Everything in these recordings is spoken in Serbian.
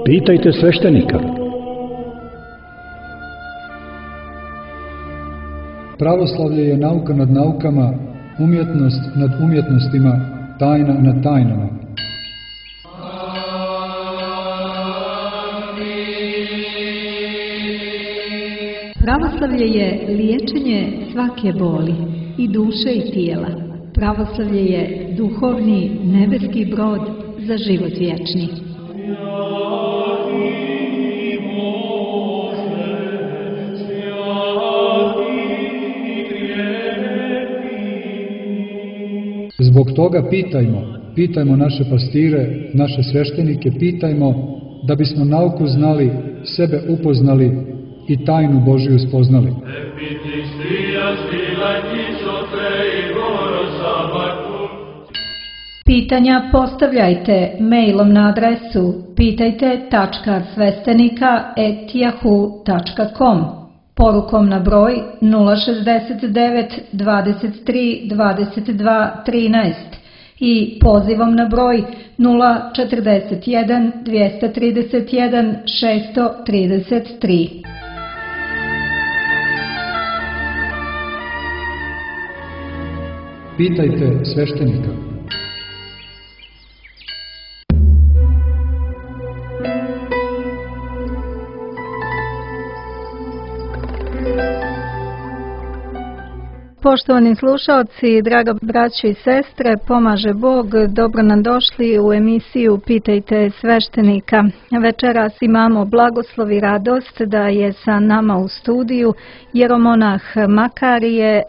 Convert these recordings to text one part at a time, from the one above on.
Pitajte sveštenika. Pravoslavlje je nauka nad naukama, umjetnost nad umjetnostima, tajna nad tajnama. Pravoslavlje je liječenje svake boli, i duše i tijela. Pravoslavlje je duhovni nebeski brod za život vječni. Zbog toga pitajmo naše pastire, naše sveštenike, pitajmo da bismo nauku znali, sebe upoznali i tajnu Božiju spoznali. Pitanja postavljajte mailom na adresu pitajte.svestenika@yahoo.com, porukom na broj 069 23 22 13 i pozivom na broj 041 231 633. Pitajte sveštenika. Poštovani slušalci, draga braćo i sestre, pomaže Bog, dobro nam došli u emisiju Pitajte sveštenika. Večeras imamo blagoslov i radost da je sa nama u studiju jeromonah Makarije,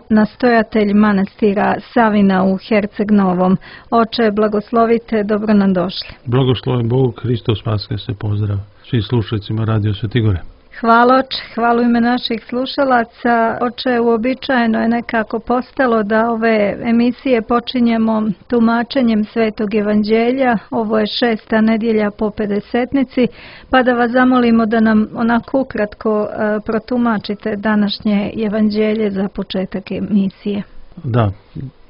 nastojatelj manastira Savina u Herceg Novom. Oče, blagoslovite, dobro nam došli. Blagosloven Bog, Hristos Vaskrsne, pozdrav svim slušalcima Radio Svetigore. Hvala oče, hvala u ime naših slušalaca. Oče, uobičajeno je nekako postalo da ove emisije počinjemo tumačenjem Svetog evanđelja. Ovo je 6. nedjelja po Pedesetnici, pa da vas zamolimo da nam onako ukratko protumačite današnje evanđelje za početak emisije. Da,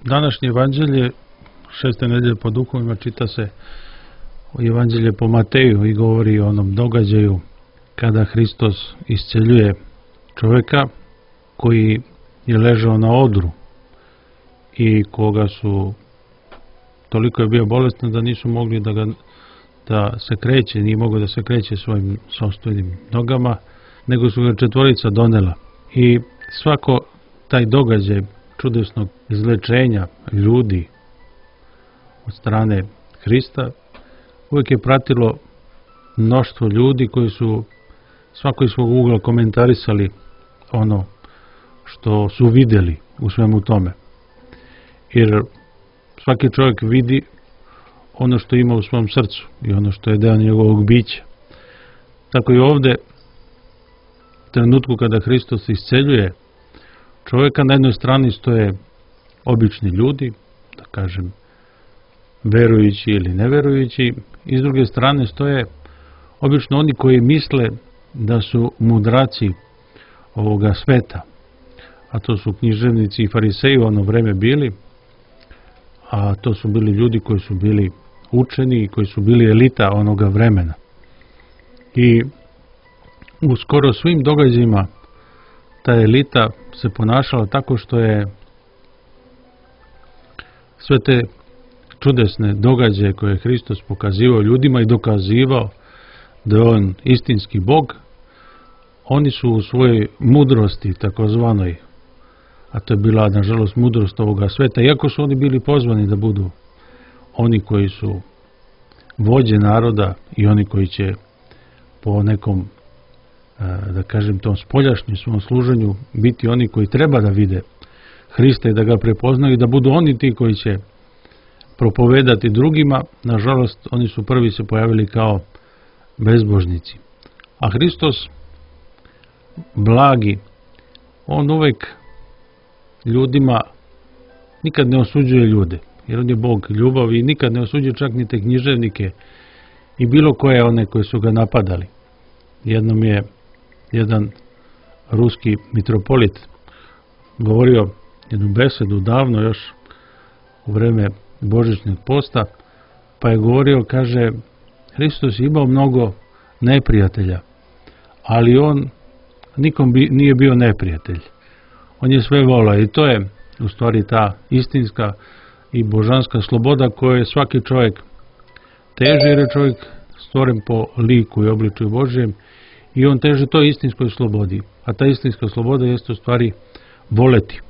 današnje evanđelje 6. nedjelje po duhovima čita se evanđelje po Mateju i govori o onom događaju kada Hristos isceljuje čovjeka koji je ležao na odru i koga su, toliko je bio bolestan da nisu mogli da se kreće, nije mogao da se kreće svojim sopstvenim nogama, nego su ga četvorica donela. I svako taj događaj čudesnog izlečenja ljudi od strane Hrista uvijek je pratilo mnoštvo ljudi koji su svako iz svog ugla komentarisali ono što su vidjeli u svemu tome. Jer svaki čovjek vidi ono što ima u svom srcu i ono što je deo njegovog bića. Tako i ovdje, u trenutku kada Hristos isceljuje čovjeka, na jednoj strani stoje obični ljudi, da kažem verujući ili neverujući, i s druge strane stoje obično oni koji misle da su mudraci ovoga sveta, a to su književnici i fariseji u ono vreme bili, a to su bili ljudi koji su bili učeni i koji su bili elita onoga vremena. I u skoro svim događajima ta elita se ponašala tako što je sve te čudesne događaje koje je Hristos pokazivao ljudima i dokazivao da je on istinski Bog, oni su u svojoj mudrosti takozvanoj, a to je bila nažalost mudrost ovoga sveta, iako su oni bili pozvani da budu oni koji su vođe naroda i oni koji će po nekom, da kažem, tom spoljašnjem svom služenju biti oni koji treba da vide Hrista i da ga prepoznaju i da budu oni ti koji će propovedati drugima. Nažalost, oni su prvi se pojavili kao bezbožnici. A Hristos, blagi, on uvek ljudima nikad ne osuđuje ljude, jer on je Bog ljubav i nikad ne osuđuje čak ni te književnike i bilo koje one koji su ga napadali. Jednom je jedan ruski mitropolit govorio jednu besedu davno još u vreme božićnog posta, pa je govorio, kaže, Hristos je imao mnogo neprijatelja, ali on nikom nije bio neprijatelj. On je sve volao i to je u stvari ta istinska i božanska sloboda koju svaki čovjek teži, jer je čovjek stvoren po liku i obličju Božjem i on teži toj istinskoj slobodi. A ta istinska sloboda jeste u stvari voleti,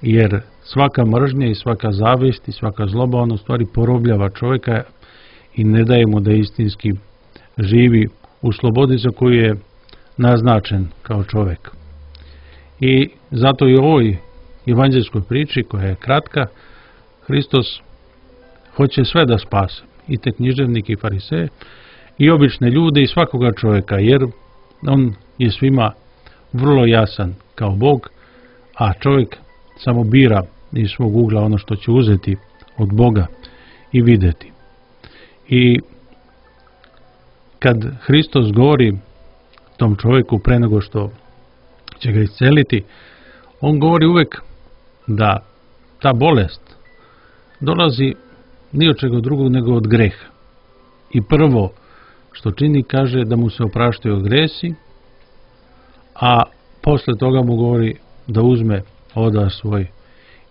jer svaka mržnja i svaka zavist i svaka zloba on u stvari porobljava čovjeka i ne daje mu da istinski živi u slobodi za koju je naznačen kao čovjek. I zato i u ovoj evanđelskoj priči, koja je kratka, Hristos hoće sve da spase, i te književnike i fariseje, i obične ljude i svakoga čovjeka, jer on je svima vrlo jasan kao Bog, a čovjek samo bira iz svog ugla ono što će uzeti od Boga i vidjeti. I kad Hristos govori tom čovjeku pre nego što će ga isceliti, on govori uvek da ta bolest dolazi ni od čega drugog nego od greha. I prvo što čini, kaže da mu se opraštaju gresi, a posle toga mu govori da uzme odar svoj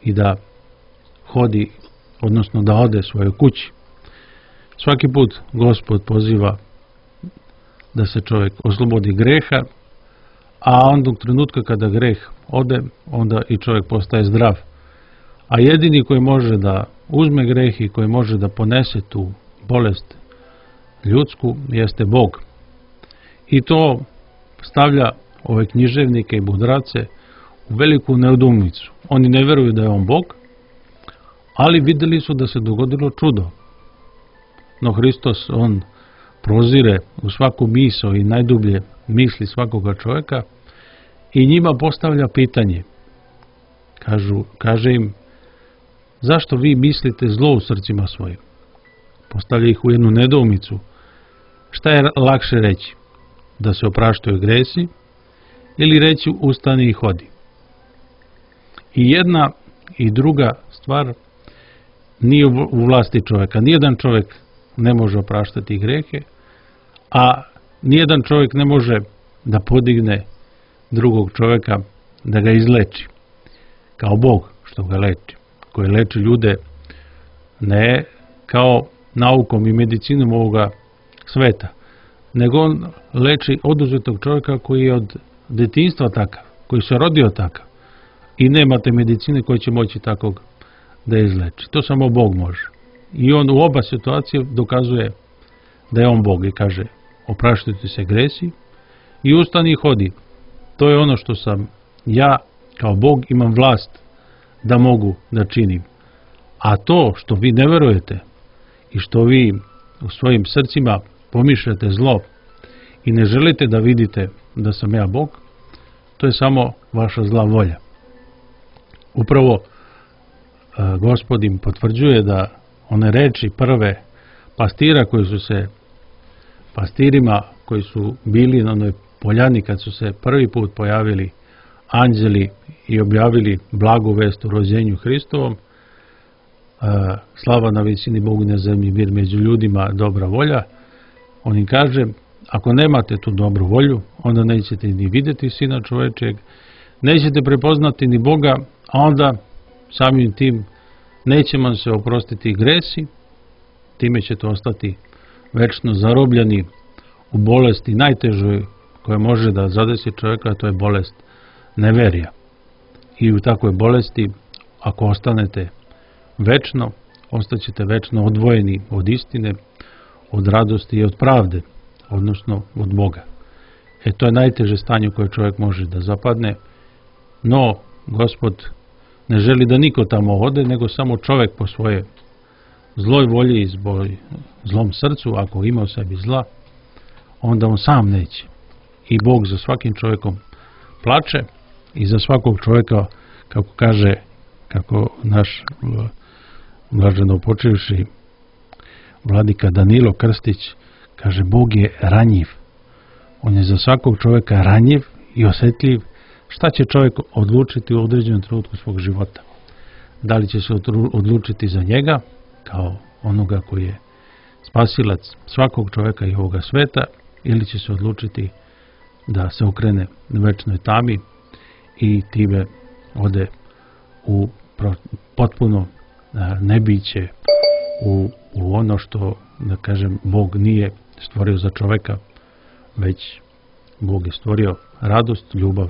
i da hodi, odnosno da ode svojoj kući. Svaki put Gospod poziva da se čovjek oslobodi greha, a onda u trenutka kada greh ode, onda i čovjek postaje zdrav. A jedini koji može da uzme greh i koji može da ponese tu bolest ljudsku jeste Bog. I to stavlja ove književnike i mudrace u veliku nedoumicu. Oni ne veruju da je on Bog, ali vidjeli su da se dogodilo čudo. No Hristos, on prozire u svaku misao i najdublje misli svakoga čovjeka i njima postavlja pitanje. Kaže im, zašto vi mislite zlo u srcima svojim? Postavlja ih u jednu nedoumicu. Šta je lakše reći? Da se opraštaju gresi ili reći ustani i hodi? I jedna i druga stvar nije u vlasti čovjeka. Nijedan čovjek ne može opraštati grehe, a nijedan čovjek ne može da podigne drugog čovjeka da ga izleči. Kao Bog što ga leči, koji leči ljude ne kao naukom i medicinom ovoga sveta, nego on leči oduzetog čovjeka koji je od detinjstva takav, koji se rodio takav i nemate medicine koji će moći takvog da izleči. To samo Bog može. I on u oba situacije dokazuje da je on Bog i kaže opraštujte se gresi i ustani i hodi. To je ono što sam ja kao Bog imam vlast da mogu da činim. A to što vi ne verujete i što vi u svojim srcima pomišljate zlo i ne želite da vidite da sam ja Bog, to je samo vaša zla volja. Upravo Gospod im potvrđuje da one reči prve pastira koji su se pastirima koji su bili na onoj poljani kad su se prvi put pojavili anđeli i objavili blagu vest o rođenju Hristovom, slava na visini Bogu na zemlji, mir među ljudima, dobra volja. On im kaže, ako nemate tu dobru volju, onda nećete ni vidjeti Sina čovečeg, nećete prepoznati ni Boga, a onda samim tim neće vam se oprostiti gresi, time ćete ostati večno zarobljeni u bolesti najtežoj koja može da zadesi čovjeka, a to je bolest neverija. I u takvoj bolesti, ako ostanete večno, ostaćete večno odvojeni od istine, od radosti i od pravde, odnosno od Boga. To je najteže stanje u koje čovjek može da zapadne, no Gospod ne želi da niko tamo ode, nego samo čovjek po svoje zloj volji i zlom srcu, ako ima u sebi zla, onda on sam neće. I Bog za svakim čovjekom plače i za svakog čovjeka, kako kaže, kako naš blaženo počivši vladika Danilo Krstić kaže, Bog je ranjiv. On je za svakog čovjeka ranjiv i osjetljiv. Šta će čovjek odlučiti u određenom trenutku svog života? Da li će se odlučiti za njega kao onoga koji je spasilac svakog čovjeka i ovoga sveta, ili će se odlučiti da se okrene večnoj tami i time ode u potpuno nebiće, u ono što, da kažem, Bog nije stvorio za čovjeka, već Bog je stvorio radost, ljubav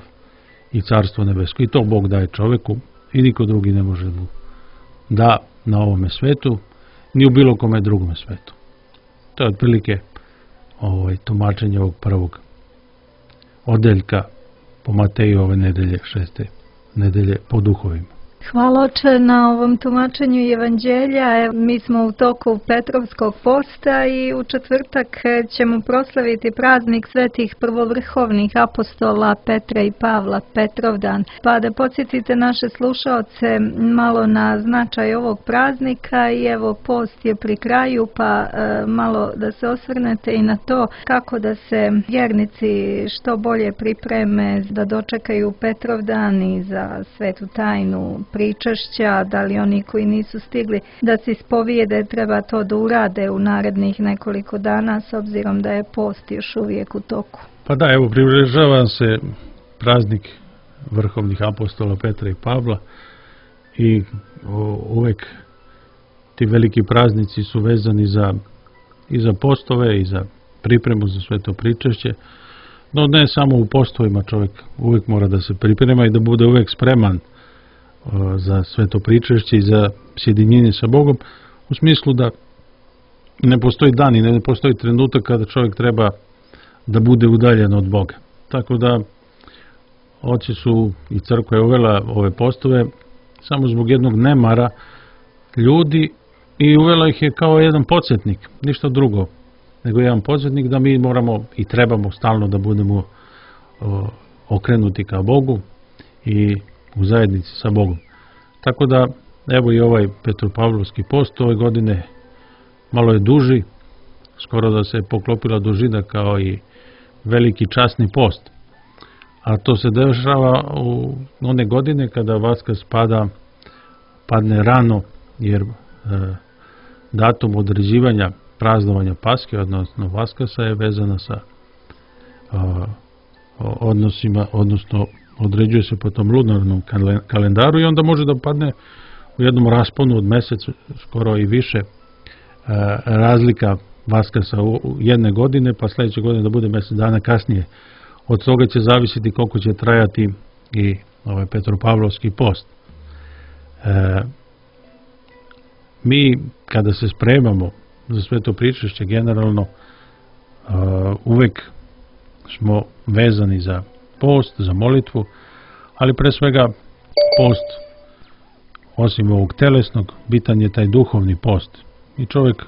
i carstvo nebesko. I to Bog daje čovjeku i niko drugi ne može mu da na ovome svetu, ni u bilo kome drugome svetu. To je otprilike tumačenje ovog prvog odeljka po Mateju ove nedelje, 6. nedelje po duhovima. Hvala oče na ovom tumačenju evanđelja. Mi smo u toku Petrovskog posta i u četvrtak ćemo proslaviti praznik svetih prvovrhovnih apostola Petra i Pavla, Petrovdan. Pa da podsjetite naše slušaoce malo na značaj ovog praznika i evo post je pri kraju, pa malo da se osvrnete i na to kako da se vjernici što bolje pripreme da dočekaju Petrovdan i za svetu tajnu pričašća, da li oni koji nisu stigli da se ispovijede treba to da urade u narednih nekoliko dana s obzirom da je post još uvijek u toku. Pa da, evo, približava se praznik vrhovnih apostola Petra i Pavla i uvek ti veliki praznici su vezani i za postove i za pripremu za sveto pričašće, no ne samo u postovima, čovjek uvijek mora da se priprema i da bude uvijek spreman za sveto pričašće i za sjedinjenje sa Bogom, u smislu da ne postoji dan i ne postoji trenutak kada čovjek treba da bude udaljen od Boga. Tako da oci su i crkva je uvela ove postove samo zbog jednog nemara ljudi i uvela ih je kao jedan podsjetnik, ništa drugo nego jedan podsjetnik da mi moramo i trebamo stalno da budemo okrenuti ka Bogu i u zajednici sa Bogom. Tako da, evo i ovaj Petropavlovski post ove godine malo je duži, skoro da se poklopila dužina kao i veliki časni post. A to se dešava u one godine kada Vaskrs padne rano, jer datum određivanja praznovanja Paske, odnosno Vaskrsa, je vezana sa odnosima, odnosno određuje se po tom lunarnom kalendaru i onda može da padne u jednom rasponu od mjesec, skoro i više, razlika Vaskrsa u jedne godine, pa sljedeće godine da bude mjesec dana kasnije. Od toga će zavisiti koliko će trajati i ovaj Petropavlovski post. Mi kada se spremamo za sveto pričašće, generalno uvek smo vezani za post, za molitvu, ali pre svega post, osim ovog telesnog, bitan je taj duhovni post. I čovjek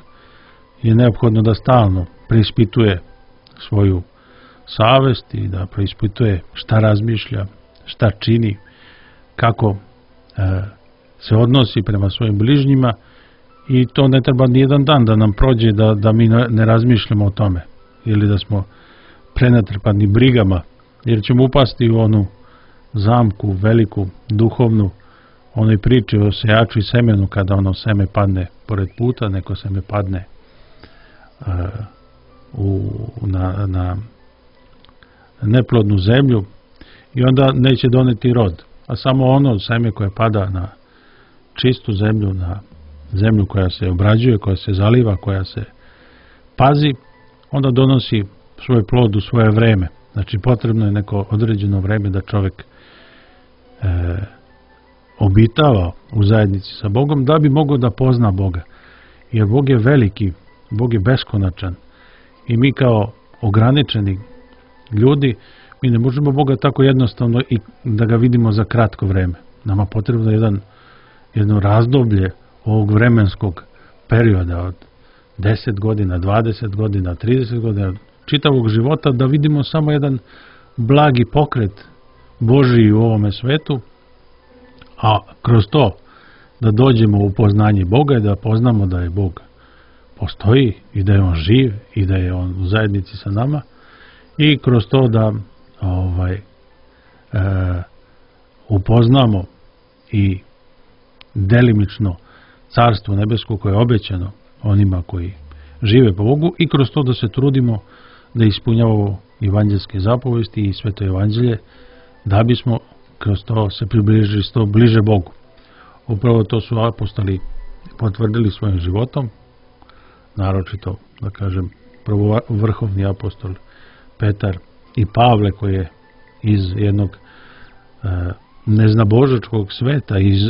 je neophodno da stalno preispituje svoju savest i da preispituje šta razmišlja, šta čini, kako se odnosi prema svojim bližnjima, i to ne treba ni jedan dan da nam prođe da mi ne razmišljamo o tome ili da smo prenatrpani brigama, jer ćemo upasti u onu zamku veliku, duhovnu, onoj priči o sejaču i semenu, kada ono seme padne pored puta, neko seme padne na neplodnu zemlju i onda neće doneti rod, a samo ono seme koje pada na čistu zemlju, na zemlju koja se obrađuje, koja se zaliva, koja se pazi, onda donosi svoj plod u svoje vreme. Znači potrebno je neko određeno vreme da čovjek obitava u zajednici sa Bogom da bi mogao da pozna Boga. Jer Bog je veliki, Bog je beskonačan i mi kao ograničeni ljudi, mi ne možemo Boga tako jednostavno i da ga vidimo za kratko vreme. Nama potrebno je jedno razdoblje ovog vremenskog perioda od 10 godina, 20 godina, 30 godina, čitavog života, da vidimo samo jedan blagi pokret Božiji u ovome svetu, a kroz to da dođemo u poznanje Boga i da poznamo da je Bog postoji i da je On živ i da je On u zajednici sa nama, i kroz to da upoznamo i delimično carstvo nebesko koje je obećano onima koji žive po Bogu i kroz to da se trudimo da ispunjavamo evanđelske zapovesti i sveto evanđelje, da bismo kroz to se približili što bliže Bogu. Upravo to su apostoli potvrdili svojim životom, naročito, da kažem, prvo vrhovni apostol Petar i Pavle, koji je iz jednog neznabožačkog sveta, iz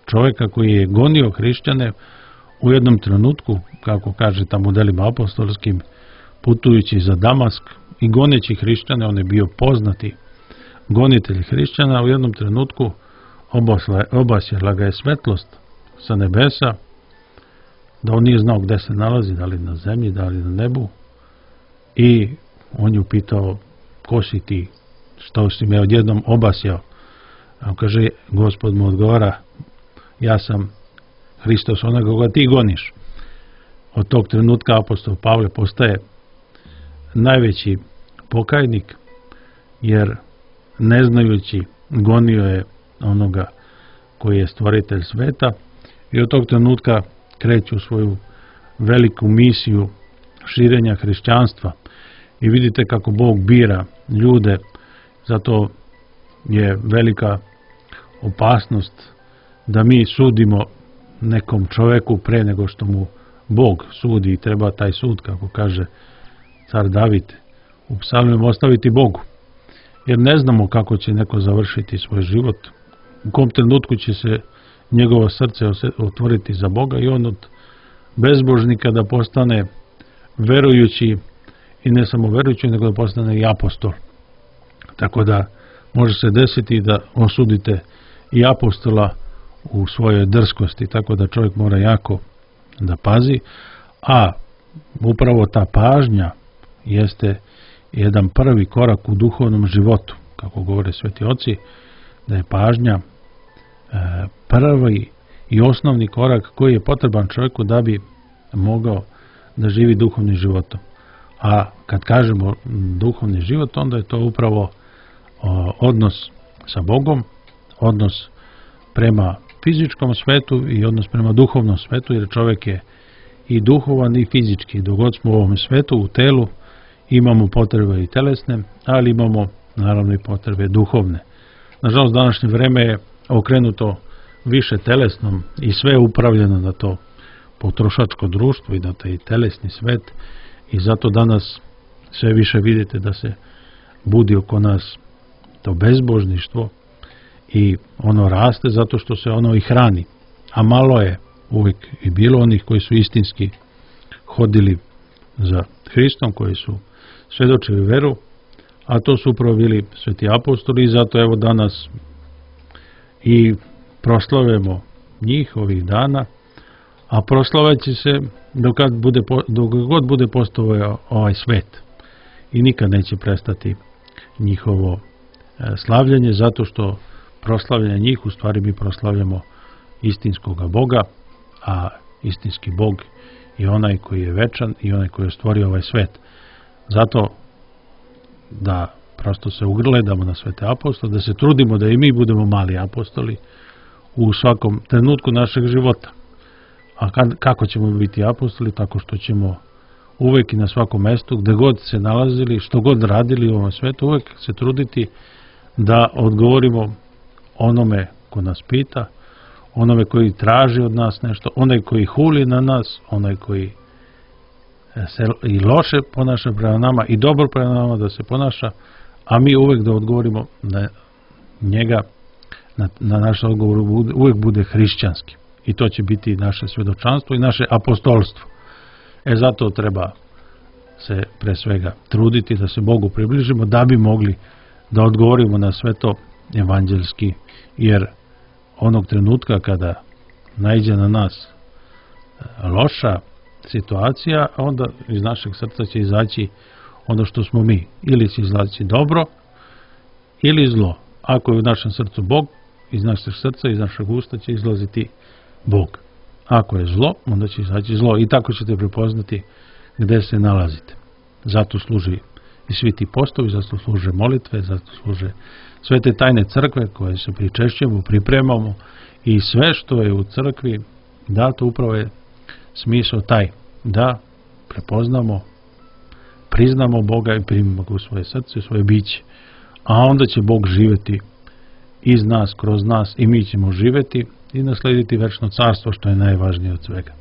čovjeka koji je gonio hrišćane, u jednom trenutku, kako kaže tamo u delima apostolskim, putujući za Damask i goneći hrišćane, on je bio poznati gonitelj hrišćana, u jednom trenutku obasjala ga je svetlost sa nebesa, da on nije znao gde se nalazi, da li na zemlji, da li na nebu, i on je upitao: ko si ti, što si me odjednom obasjao? A on kaže, Gospod mu odgovara: ja sam Hristos, onoga koga ti goniš. Od tog trenutka apostol Pavle postaje najveći pokajnik, jer ne znajući gonio je onoga koji je stvoritelj sveta, i od tog trenutka kreću svoju veliku misiju širenja hrišćanstva. I vidite kako Bog bira ljude, zato je velika opasnost da mi sudimo nekom čoveku pre nego što mu Bog sudi, i treba taj sud, kako kaže car David u psalmima, ostaviti Bogu. Jer ne znamo kako će neko završiti svoj život, u kom trenutku će se njegovo srce otvoriti za Boga i on od bezbožnika da postane verujući, i ne samo verujući, nego da postane i apostol. Tako da može se desiti da osudite i apostola u svojoj drskosti, tako da čovjek mora jako da pazi, a upravo ta pažnja jeste jedan prvi korak u duhovnom životu, kako govore sveti oci, da je pažnja prvi i osnovni korak koji je potreban čovjeku da bi mogao da živi duhovnim životom. A kad kažemo duhovni život, onda je to upravo odnos sa Bogom, odnos prema fizičkom svetu i odnos prema duhovnom svetu, jer čovjek je i duhovan i fizički. Dok god smo u ovom svetu, u telu, imamo potrebe i telesne, ali imamo naravno i potrebe duhovne. Nažalost, današnje vreme je okrenuto više telesnom i sve je upravljeno na to potrošačko društvo i na taj telesni svet, i zato danas sve više vidite da se budi oko nas to bezbožništvo i ono raste zato što se ono i hrani. A malo je uvijek i bilo onih koji su istinski hodili za Hristom, koji su svedočili veru, a to su upravo bili sveti apostoli, i zato evo danas i proslavujemo njih ovih dana, a proslaveći se dok god bude postojao ovaj svet, i nikad neće prestati njihovo slavljanje, zato što proslavljanje njih, u stvari mi proslavljamo istinskog Boga, a istinski Bog je onaj koji je večan i onaj koji je stvorio ovaj svet. Zato da prosto se ugledamo na svete apostole, da se trudimo da i mi budemo mali apostoli u svakom trenutku našeg života. A kako ćemo biti apostoli? Tako što ćemo uvek i na svakom mestu, gde god se nalazili, što god radili u ovom svetu, uvek se truditi da odgovorimo onome ko nas pita, onome koji traži od nas nešto, onaj koji huli na nas, onaj koji se i loše ponaša prema nama i dobro prema nama da se ponaša, a mi uvek da odgovorimo da njega, na naš odgovor uvek bude hrišćanski. I to će biti naše svedočanstvo i naše apostolstvo. Zato treba se pre svega truditi da se Bogu približimo, da bi mogli da odgovorimo na sve to evanđelski, jer onog trenutka kada naiđe na nas loša situacija, onda iz našeg srca će izaći ono što smo mi. Ili će izaći dobro, ili zlo. Ako je u našem srcu Bog, iz našeg srca, iz našeg usta će izlaziti Bog. Ako je zlo, onda će izaći zlo. I tako ćete prepoznati gde se nalazite. Zato služi i svi ti postovi, zato služe molitve, zato služe sve te tajne crkve koje se pričešćujemo, pripremamo, i sve što je u crkvi Da, to upravo je smisao taj, da prepoznamo, priznamo Boga i primimo ga u svoje srce, u svoje biće. A onda će Bog živjeti iz nas, kroz nas, i mi ćemo živjeti i naslediti večno carstvo, što je najvažnije od svega.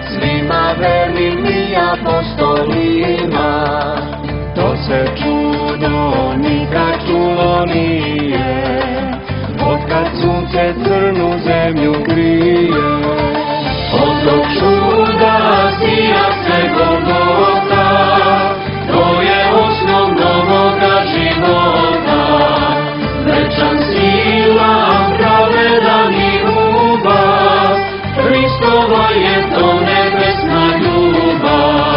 Svima vernim i apostolima, to se čudo nikad čulo nije, otkad sunce crnu zemlju grije. Od tog čuda sija sve Golgota, to je osnov novoga života, večan sila, pravedan i ljubav, Hristova je to nebesna ljubav.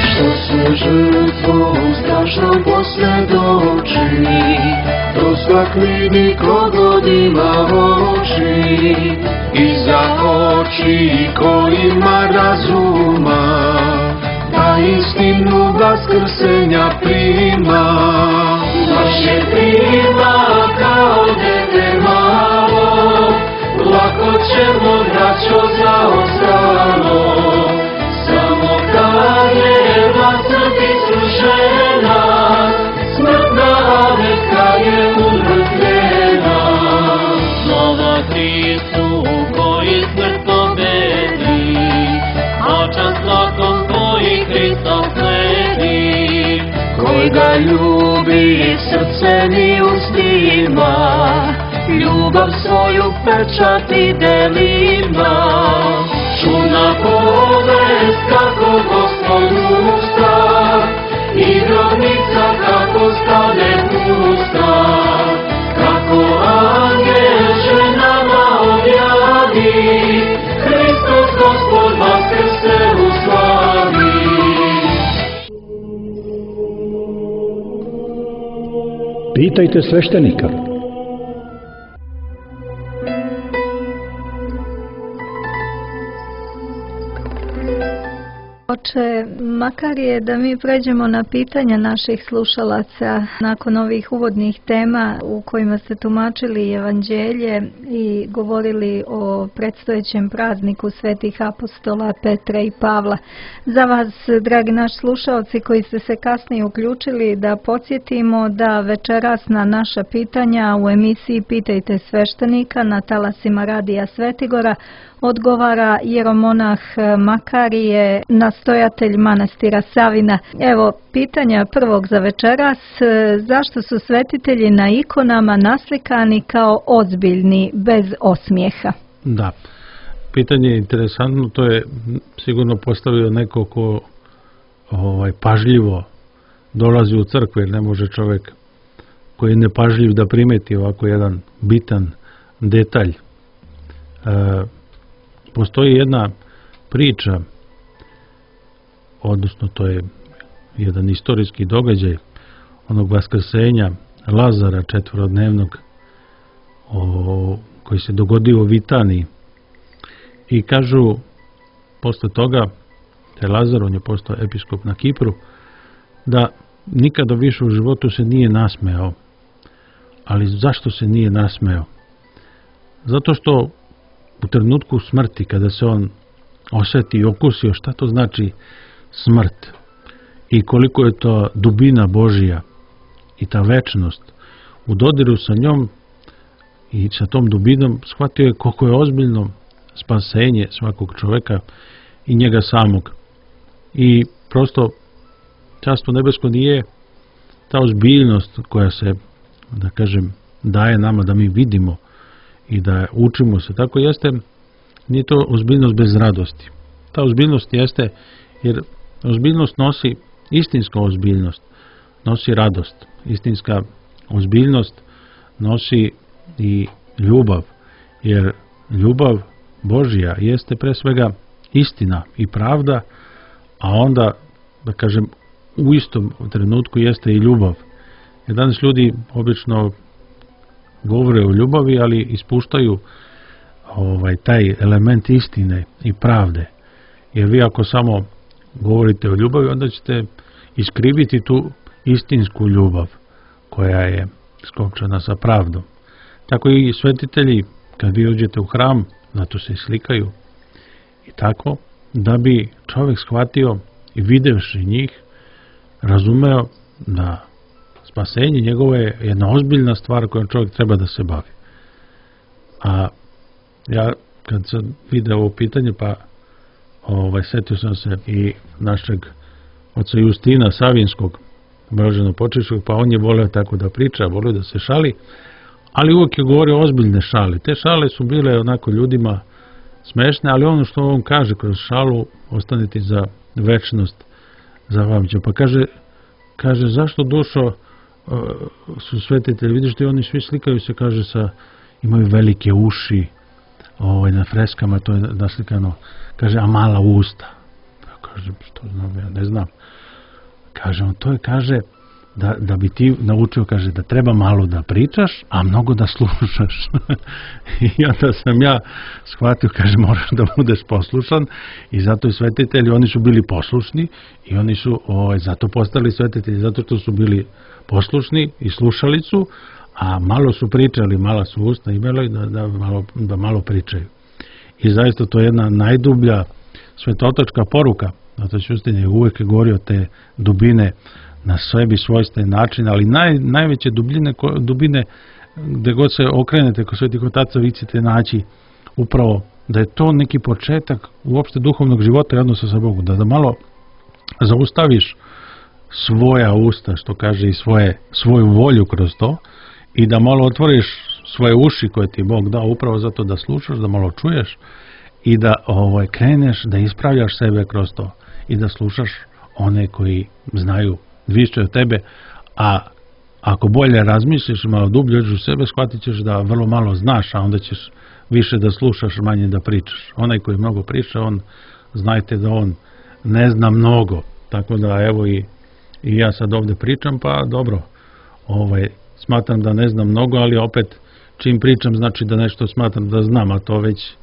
Što se žrtvom strašnom posvjedoči, to svak vidi kogod ima oči, i za oči ko ima razuma, da istinu vaskrsenja prima. Naše prima kao dete malo, lako ćemo braćo zaostalo, samo kad je vasrt isrušena, smrtna aveka je umrtvljena. Slova Hristu koji smrt pobedi, očas lakom koji Hristos sledi, koji ga ljubi srcem i ustima, ljubav svoju pečati delima. Čudna povest kako Gospod usta, i grobnica kako stane pusta, kako angel ženama objavi, Hristos Gospod vaskrse u slavi. Pitajte sveštenika. Oče, makar je da mi pređemo na pitanja naših slušalaca nakon ovih uvodnih tema u kojima ste tumačili evanđelje i govorili o predstojećem prazniku svetih apostola Petra i Pavla. Za vas, dragi naši slušalci koji ste se kasnije uključili, da podsjetimo da večeras na naša pitanja u emisiji Pitajte sveštenika na talasima Radija Svetigora odgovara jeromonah Makarije, nastojatelj manastira Savina. Evo, pitanja prvog za večeras: zašto su svetitelji na ikonama naslikani kao ozbiljni, bez osmijeha? Da, pitanje je interesantno, to je sigurno postavio neko ko pažljivo dolazi u crkvu, jer ne može čovjek koji je nepažljiv da primeti ovako jedan bitan detalj. Postoji jedna priča, odnosno to je jedan istorijski događaj onog vaskrsenja Lazara četvorodnevnog koji se dogodio u Vitaniji. I kažu, posle toga, taj Lazar, on je postao episkop na Kipru, da nikada više u životu se nije nasmejao. Ali zašto se nije nasmejao? Zato što u trenutku smrti, kada se on osjeti i okusio šta to znači smrt i koliko je to dubina Božija i ta večnost, u dodiru sa njom i sa tom dubinom shvatio je koliko je ozbiljno spasenje svakog čoveka i njega samog. I prosto Carstvo nebesko nije ta ozbiljnost koja se, da kažem, daje nama da mi vidimo i da učimo se. Tako jeste, nije to ozbiljnost bez radosti. Ta ozbiljnost jeste, jer ozbiljnost nosi, istinska ozbiljnost nosi radost. Istinska ozbiljnost nosi i ljubav, jer ljubav Božja jeste pre svega istina i pravda, a onda, da kažem, u istom trenutku jeste i ljubav. Jer danas ljudi obično govore o ljubavi, ali ispuštaju taj element istine i pravde. Jer vi ako samo govorite o ljubavi, onda ćete iskriviti tu istinsku ljubav koja je skopčana sa pravdom. Tako i svetitelji, kad vi uđete u hram, zato se slikaju i tako, da bi čovjek shvatio i videvši njih, razumeo da spasenje njegovo je jedna ozbiljna stvar kojom čovjek treba da se bavi. A ja kad sam video ovo pitanje, pa setio sam se i našeg oca Justina Savinskog, blaženopočivšeg, pa on je voleo tako da priča, voleo da se šali, ali uvijek je govorio ozbiljne šale. Te šale su bile onako ljudima smešne, ali ono što on kaže kroz šalu ostane ti za večnost zapamćeno. Pa kaže zašto dušo su svetitelji, vidiš da oni svi slikaju se, kaže, imaju velike uši, na freskama to je naslikano, kaže, a mala usta. Pa kaže, što znam, ja ne znam. Kaže, on to je, kaže, da bi ti naučio, kaže, da treba malo da pričaš, a mnogo da slušaš. I onda sam ja shvatio, kaže, moraš da budeš poslušan, i zato i svetitelji, oni su bili poslušni i oni su zato postali svetitelji, zato što su bili poslušni i slušali su, a malo su pričali, mala su usta imali da malo pričaju. I zaista to je jedna najdublja svetotačka poruka. Zato Justin je uvek govorio te dubine na sebi svojstven način, ali najveće dubine gde god se okrenete kod svetih otaca, vi ćete naći upravo da je to neki početak uopšte duhovnog života i odnosa sa Bogom, da malo zaustaviš svoja usta, što kaže, i svoju volju kroz to, i da malo otvoriš svoje uši koje ti Bog dao upravo zato da slušaš, da malo čuješ i da kreneš da ispravljaš sebe kroz to i da slušaš one koji znaju više od tebe, a ako bolje razmisliš, malo dublje uđeš u sebe, shvatit ćeš da vrlo malo znaš, a onda ćeš više da slušaš, manje da pričaš. Onaj koji mnogo priča, znajte da on ne zna mnogo. Tako da evo i ja sad ovde pričam, pa dobro, smatram da ne znam mnogo, ali opet čim pričam znači da nešto smatram da znam, a to već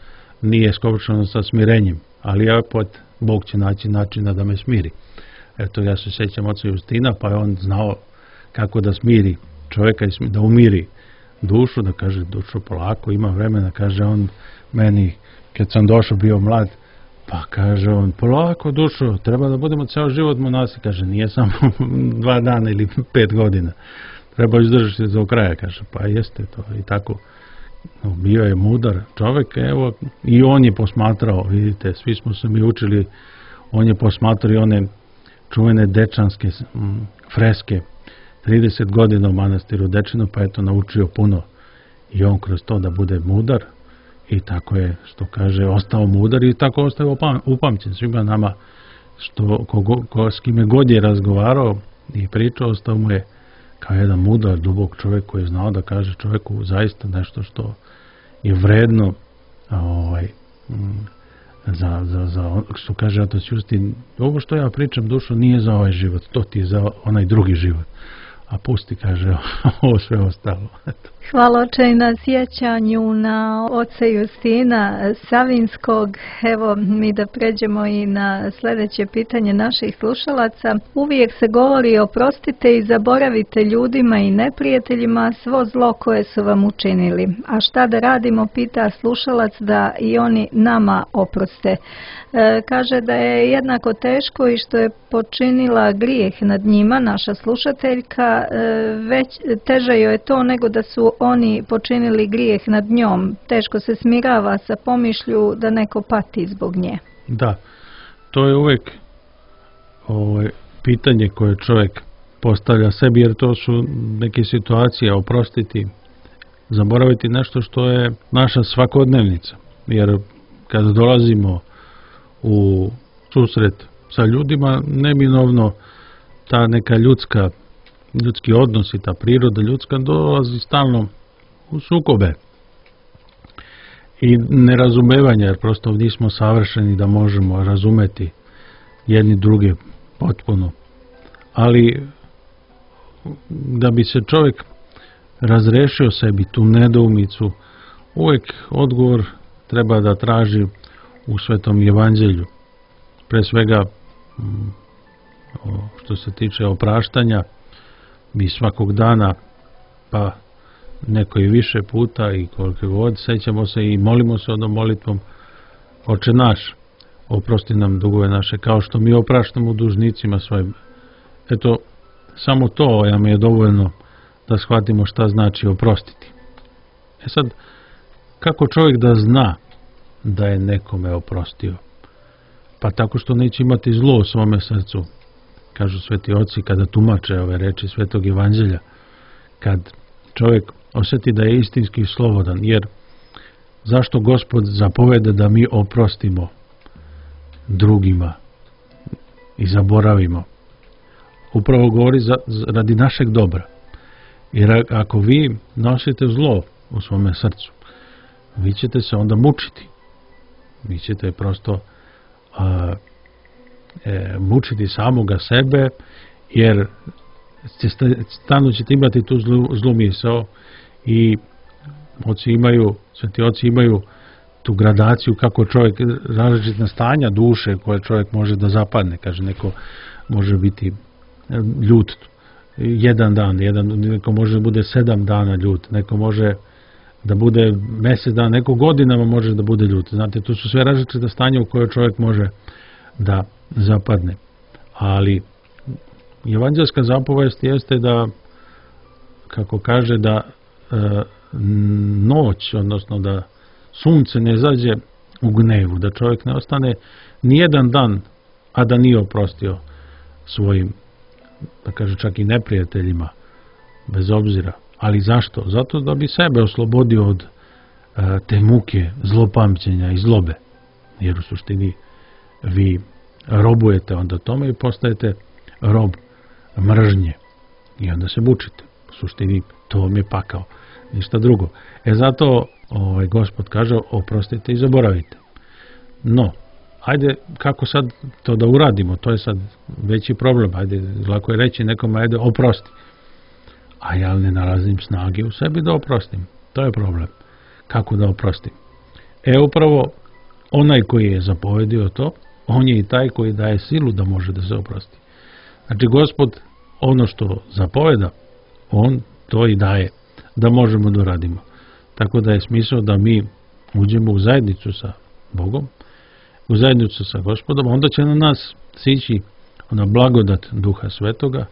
nije skopčano sa smirenjem. Ali opet Bog će naći načina da me smiri. Eto, ja se sećam oca Justina, pa je on znao kako da smiri čovjeka, da umiri dušu, da kaže, dušo, polako, ima vremena, kaže on meni, kad sam došao, bio mlad, pa kaže on, polako dušo, treba da budemo ceo život monasi, kaže, nije samo 2 dana ili 5 godina, treba izdržati do kraja, kaže, pa jeste to i tako. Bio je mudar čovjek, evo, i on je posmatrao, vidite, svi smo se mi učili, on je posmatrao i one čuvene dečanske freske, 30 godina u manastiru Dečinu, pa eto naučio puno i on kroz to da bude mudar, i tako je, što kaže, ostao mudar i tako ostao upamćen svima nama, što s kime god je razgovarao i pričao, ostao mu je kao jedan mudar, dubok čovjek koji je znao da kaže čovjeku zaista nešto što je vredno što kaže otac Justin, ovo što ja pričam, dušo, nije za ovaj život, to ti je za onaj drugi život. a pusti, kaže, ovo sve ostalo. Hvala oče i na sjećanju na oca Justina Savinskog. Evo mi da pređemo i na sljedeće pitanje naših slušalaca. Uvijek se govori oprostite i zaboravite ljudima i neprijateljima svo zlo koje su vam učinili. A šta da radimo, pita slušalac, da i oni nama oproste. Kaže da je jednako teško i što je počinila grijeh nad njima, naša slušateljka, već teže joj je to nego da su oni počinili grijeh nad njom. Teško se smirava sa pomišlju da neko pati zbog nje. Da, to je uvijek pitanje koje čovjek postavlja sebi, jer to su neke situacije, oprostiti, zaboraviti nešto što je naša svakodnevnica. Jer kada dolazimo u susret sa ljudima, neminovno ta neka ljudski odnos i ta priroda ljudska dolazi stalno u sukobe i nerazumevanja, jer prosto nismo savršeni da možemo razumeti jedni druge potpuno. Ali da bi se čovjek razrešio sebi tu nedoumicu, uvijek odgovor treba da traži u Svetom Evanđelju. Pre svega, što se tiče opraštanja, mi svakog dana, pa neko i više puta i koliko god, sećamo se i molimo se onom molitvom: Oče naš, oprosti nam dugove naše, kao što mi opraštamo dužnicima svojim. Eto, samo to nam je dovoljno da shvatimo šta znači oprostiti. E sad, kako čovjek da zna da je nekome oprostio? Pa tako što neće imati zlo u svome srcu. Kažu sveti oci kada tumače ove reči Svetog Evanđelja, kad čovjek osjeti da je istinski slobodan, jer zašto Gospod zapoveda da mi oprostimo drugima i zaboravimo? Upravo govori radi našeg dobra. Jer ako vi nosite zlo u svome srcu, vi ćete se onda mučiti. Vi ćete prosto mučiti samoga sebe, jer stalno ćete imati tu zlu misao i sveti oci imaju tu gradaciju kako čovjek, različitna stanja duše koje čovjek može da zapadne. Kaže, neko može biti ljut jedan dan, neko može da bude 7 dana ljut, neko može da bude mjesec dana, neko godinama može da bude ljut. Znate, to su sve različite stanja u koje čovjek može da zapadne. Ali evanđelska zapovest jeste da, kako kaže, da noć, odnosno da sunce ne zađe u gnevu, da čovjek ne ostane nijedan dan, a da nije oprostio svojim, da kaže, čak i neprijateljima, bez obzira. Ali zašto? Zato da bi sebe oslobodio od te muke, zlopamćenja i zlobe. Jer u suštini vi robujete onda tome i postajete rob mržnje. I onda se mučite. U suštini to vam je pakao. Ništa drugo. Zato Gospod kaže: oprostite i zaboravite. No, ajde, kako sad to da uradimo? To je sad veći problem. Ajde, lako je reći nekome: ajde, oprosti. A ja ne nalazim snage u sebi da oprostim. To je problem. Kako da oprostim? Upravo onaj koji je zapovedio to, on je i taj koji daje silu da može da se oprosti. Znači, Gospod ono što zapoveda, on to i daje da možemo da radimo. Tako da je smisao da mi uđemo u zajednicu sa Bogom, u zajednicu sa Gospodom, onda će na nas sići ona blagodat Duha Svetoga,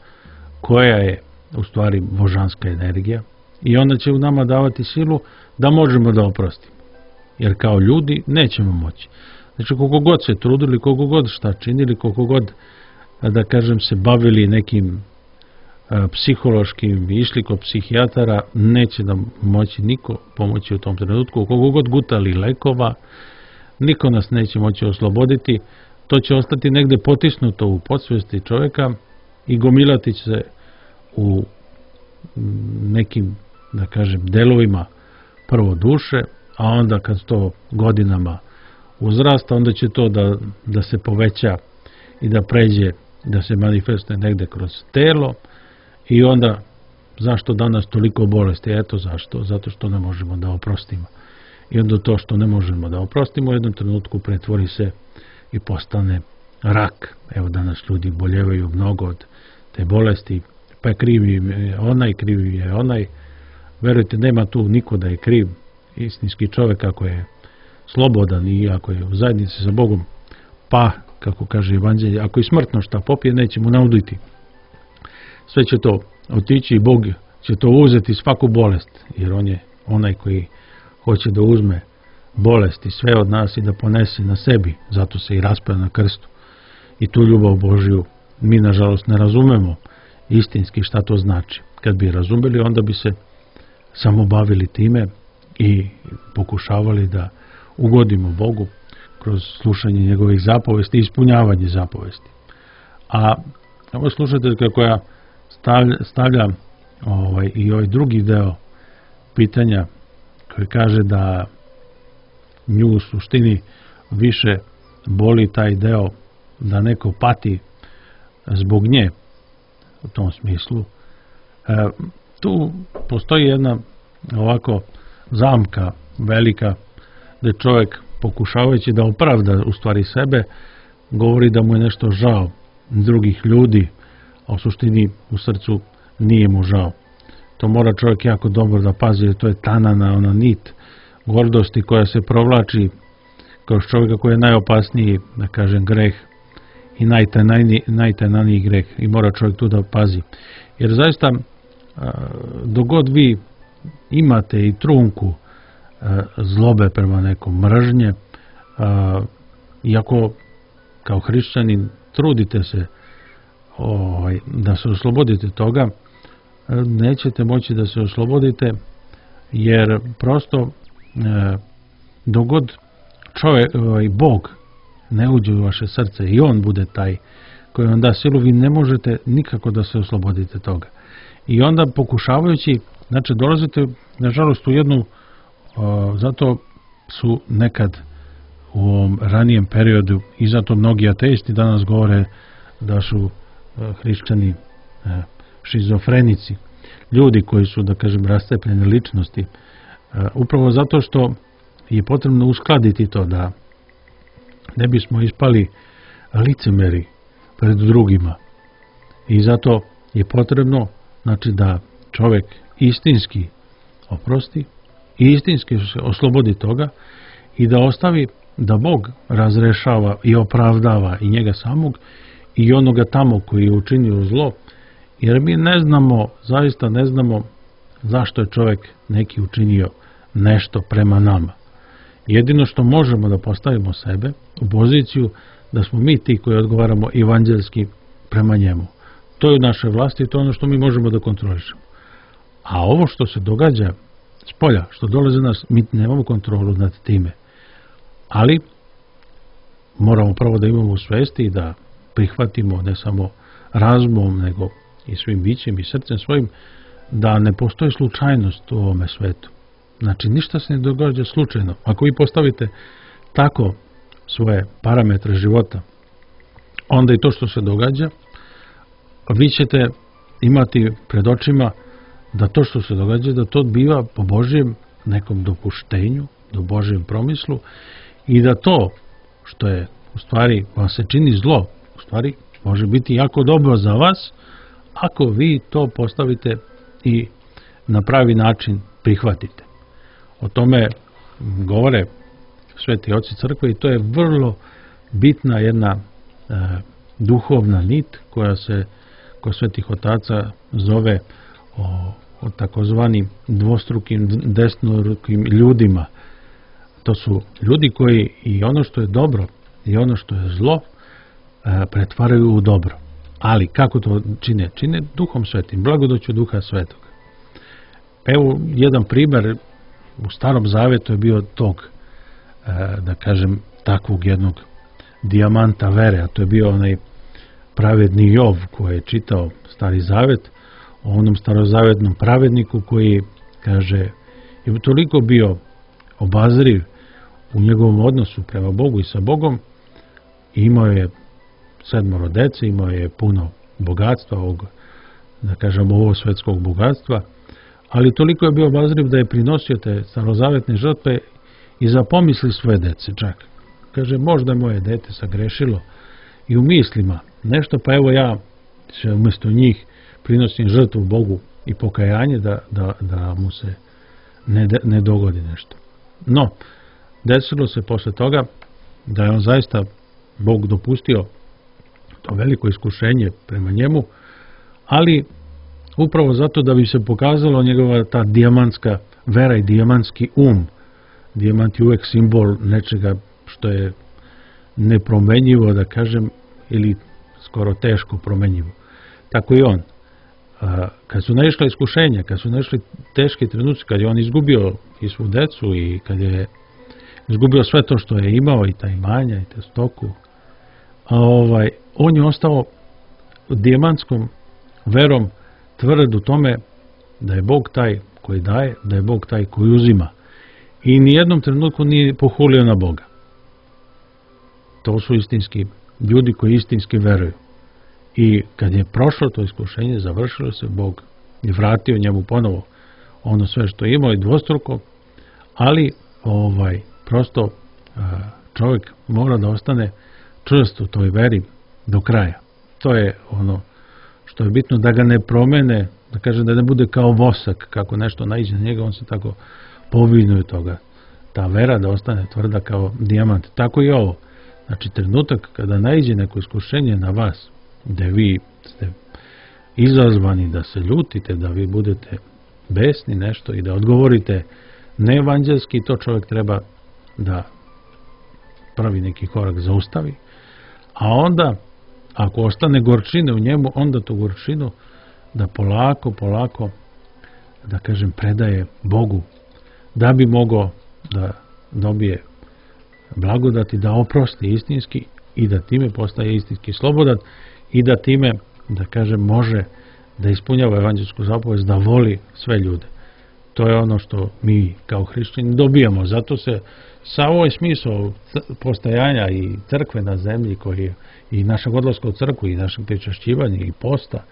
koja je u stvari božanska energija, i ona će u nama davati silu da možemo da oprostimo. Jer kao ljudi nećemo moći. Znači, koliko god se trudili, koliko god šta činili, koliko god, da kažem, se bavili nekim psihološkim, išli kod psihijatara, neće nam moći niko pomoći u tom trenutku. Koliko god gutali lekova, niko nas neće moći osloboditi. To će ostati negde potisnuto u podsvesti čovjeka i gomilati će se u nekim, da kažem, delovima prvo duše, a onda kad to godinama uzrasta, onda će to da se poveća i da pređe, da se manifestuje negde kroz telo, i onda zašto danas toliko bolesti? Eto zašto, zato što ne možemo da oprostimo. I onda to što ne možemo da oprostimo u jednom trenutku pretvori se i postane rak. Evo danas ljudi boljevaju mnogo od te bolesti, pa je krivi je onaj. Verujte, nema tu niko da je kriv. Istinski čovjek ako je slobodan i ako je u zajednici sa Bogom, pa, kako kaže Evanđelje, ako i smrtno šta popije, neće mu nauditi. Sve će to otići i Bog će to uzeti, svaku bolest, jer on je onaj koji hoće da uzme bolest i sve od nas i da ponese na sebi, zato se i raspao na krstu. I tu ljubav Božju mi nažalost ne razumemo istinski šta to znači. Kad bi razumeli, onda bi se samo bavili time i pokušavali da ugodimo Bogu kroz slušanje njegovih zapovesti i ispunjavanje zapovesti. A ovo slušajte kako ja stavlja i ovaj drugi deo pitanja koji kaže da nju u suštini više boli taj deo da neko pati zbog nje u tom smislu. Tu postoji jedna ovako zamka velika da čovjek pokušavajući da opravda u stvari sebe govori da mu je nešto žao drugih ljudi, a u suštini u srcu nije mu žao. To mora čovjek jako dobro da pazi, jer to je tanana ona nit gordosti koja se provlači kroz čovjeka koji je najopasniji, da kažem, greh i najtananiji greh i mora čovjek tu da pazi. Jer zaista dok god vi imate i trunku zlobe prema nekom, mržnje, iako kao hrišćanin trudite se da se oslobodite toga, nećete moći da se oslobodite, jer prosto dok god Bog ne uđe u vaše srce i on bude taj koji vam da silu, vi ne možete nikako da se oslobodite toga. I onda pokušavajući, znači dolazite nažalost u jednu, zato su nekad u ovom ranijem periodu i zato mnogi ateisti danas govore da su hrišćani šizofrenici, ljudi koji su, da kažem, rascepljene ličnosti, upravo zato što je potrebno uskladiti to da ne bismo ispali licemeri pred drugima. I zato je potrebno, znači, da čovjek istinski oprosti i istinski se oslobodi toga i da ostavi da Bog razrešava i opravdava i njega samog i onoga tamo koji je učinio zlo, jer mi ne znamo, zaista ne znamo zašto je čovjek neki učinio nešto prema nama. Jedino što možemo da postavimo sebe u poziciju da smo mi ti koji odgovaramo evanđelski prema njemu. To je u našoj vlasti i to je ono što mi možemo da kontrolišemo. A ovo što se događa spolja, što dolaze nas, mi nemamo kontrolu nad time. Ali moramo prvo da imamo u svesti i da prihvatimo ne samo razumom, nego i svim bićem i srcem svojim, da ne postoji slučajnost u ovome svetu. Znači, ništa se ne događa slučajno. Ako vi postavite tako svoje parametre života, onda i to što se događa, vi ćete imati pred očima da to što se događa, da to biva po Božjem nekom dopuštenju, do Božjem promislu i da to što je u stvari vam se čini zlo, u stvari može biti jako dobro za vas ako vi to postavite i na pravi način prihvatite. O tome govore sveti oci crkve i to je vrlo bitna jedna duhovna nit koja se kod svetih otaca zove o takozvanim dvostrukim desnorukim ljudima. To su ljudi koji i ono što je dobro i ono što je zlo pretvaraju u dobro. Ali kako to čine? Čine Duhom Svetim, blagodaću Duha Svetog. Evo jedan primjer, u Starom Zavetu je bio tog, da kažem, takvog jednog dijamanta vere, a to je bio onaj pravedni Jov koji je čitao Stari Zavet, o onom starozavetnom pravedniku koji, kaže, je toliko bio obazriv u njegovom odnosu prema Bogu i sa Bogom i imao je 7 dece, imao je puno bogatstva ovog da kažem, ovo svetskog bogatstva, ali toliko je bio obazriv da je prinosio te starozavetne žrtve i za pomisli svoje dece čak. Kaže, možda je moje dete sagrešilo i u mislima nešto, pa evo ja se umjesto njih prinosim žrtvu Bogu i pokajanje da mu se ne dogodi nešto. No, desilo se posle toga da je on zaista, Bog dopustio to veliko iskušenje prema njemu, ali upravo zato da bi se pokazalo njegova ta dijamantska vera i dijamantski um. Dijamant je uvek simbol nečega što je nepromenjivo, da kažem, ili skoro teško promenjivo. Tako i on. Kad su naišla iskušenja, kad su naišli teški trenuci, kad je on izgubio i svu decu i kad je izgubio sve to što je imao, i ta imanja i te stoku, on je ostao dijamantskom verom tvrd u tome da je Bog taj koji daje, da je Bog taj koji uzima. I nijednom trenutku nije pohulio na Boga. To su istinski ljudi koji istinski veruju. I kad je prošlo to iskušenje, završilo se, Bog je vratio njemu ponovo ono sve što je imao i dvostruko, ali prosto čovjek mora da ostane čvrst u toj veri do kraja. To je ono što je bitno, da ga ne promene, da kaže da ne bude kao vosak, kako nešto naiđe na njega, on se tako povinuje toga. Ta vera da ostane tvrda kao dijamant. Tako i ovo. Znači, trenutak kada naiđe neko iskušenje na vas, gde vi ste izazvani da se ljutite, da vi budete besni nešto i da odgovorite neevanđelski, to čovjek treba da pravi neki korak, zaustavi. A onda, ako ostane gorčine u njemu, onda tu gorčinu da polako, da kažem, predaje Bogu, da bi mogao da dobije blagodati, da oprosti istinski i da time postaje istinski slobodan i da time, da kažem, može da ispunjava evanđelsku zapovest, da voli sve ljude. To je ono što mi kao hrišćani dobijamo. Zato se sa ovaj smisao postajanja i crkve na zemlji, koji i našeg odlaska u crkvu i našeg pričašćivanja i posta,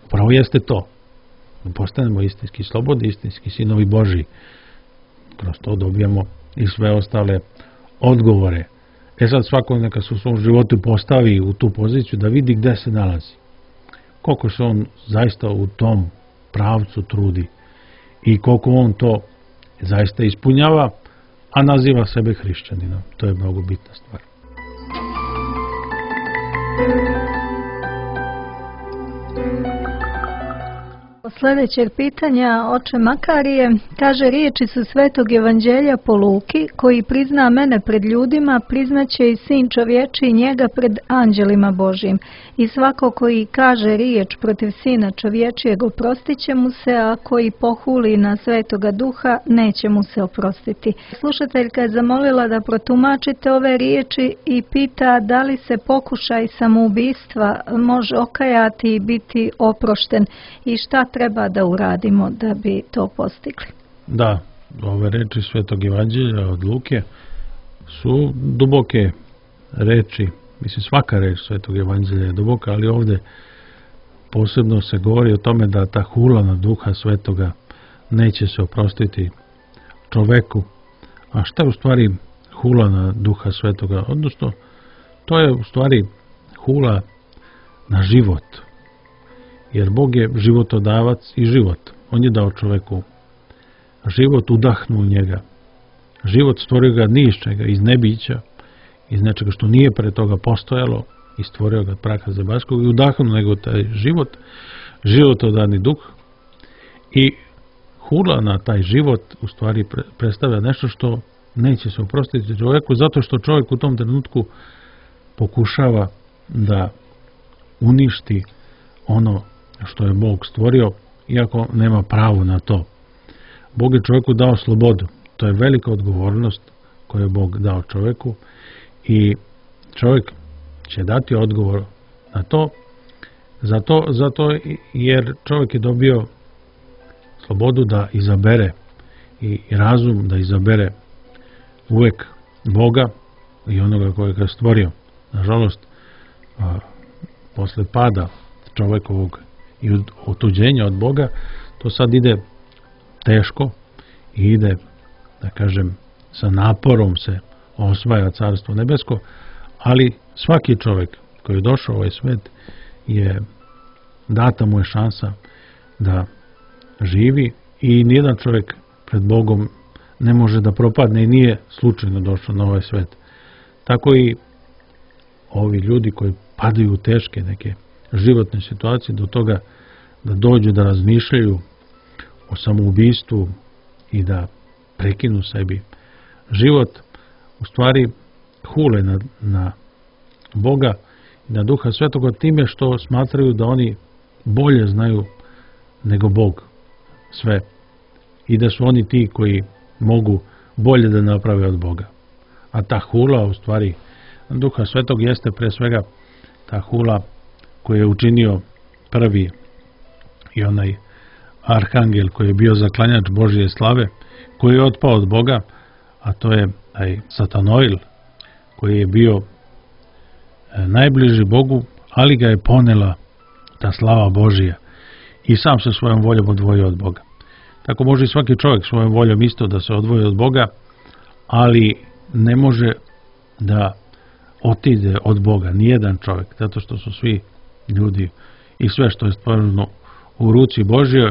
upravo jeste to. Postanemo istinski slobodni, istinski sinovi Božji. Kroz to dobijamo i sve ostale odgovore. Sad svako neka se u svom životu postavi u tu poziciju da vidi gde se nalazi. Koliko se on zaista u tom pravcu trudi i koliko on to zaista ispunjava, a naziva sebe hrišćaninom. To je mnogo bitna stvar. Sljedećeg pitanja oče Makarije kaže: riječi su Svetog Evanđelja po Luki, koji prizna mene pred ljudima, priznaće i Sin čovječiji njega pred anđelima Božjim. I svako koji kaže riječ protiv Sina čovječijeg, oprostit će mu se, a koji pohuli na Svetoga Duha, neće mu se oprostiti. Slušateljka je zamolila da protumačite ove riječi i pita da li se pokušaj samoubistva može okajati i biti oprošten i šta treba da uradimo da bi to postigli. Da, ove reči Svetog Evanđelja od Luke su duboke reči. Mislim, svaka reč Svetog Evanđelja je duboka, ali ovdje posebno se govori o tome da ta hula na Duha Svetoga neće se oprostiti čoveku. A šta je u stvari hula na Duha Svetoga? Odnosno, to je u stvari hula na život. Jer Bog je životodavac i život. On je dao čoveku život, udahnuo njega. Život stvorio ga ni iz čega, iz nebića, iz nečega što nije pre toga postojalo, i stvorio ga praha zemaljskog i udahnuo nego taj život, životodani duh. I hula na taj život u stvari predstavlja nešto što neće se oprostiti čoveku, zato što čovjek u tom trenutku pokušava da uništi ono što je Bog stvorio, iako nema pravo na to. Bog je čovjeku dao slobodu. To je velika odgovornost koju je Bog dao čovjeku i čovjek će dati odgovor na to, zato jer čovjek je dobio slobodu da izabere i razum da izabere uvek Boga i onoga kojeg je stvorio. Nažalost, posle pada čovekovog i otuđenja od Boga, to sad ide teško i ide, da kažem, sa naporom se osvaja Carstvo nebesko, ali svaki čovjek koji je došao u ovaj svet data mu je šansa da živi i nijedan čovjek pred Bogom ne može da propadne i nije slučajno došao na ovaj svet. Tako i ovi ljudi koji padaju u teške neke životne situacije do toga da dođu da razmišljaju o samoubistvu i da prekinu sebi život, u stvari hule na Boga i na Duha Svetoga time što smatraju da oni bolje znaju nego Bog sve i da su oni ti koji mogu bolje da naprave od Boga. A ta hula u stvari Duha Svetog jeste pre svega ta hula koju je učinio prvi i onaj arhangel koji je bio zaklanjač Božje slave, koji je otpao od Boga, a to je taj Satanoil koji je bio najbliži Bogu, ali ga je ponela ta slava Božija i sam se svojom voljom odvojio od Boga. Tako može i svaki čovjek svojom voljom isto da se odvoji od Boga, ali ne može da otide od Boga, nijedan čovjek, zato što su svi ljudi i sve što je stvoreno u ruci Božjoj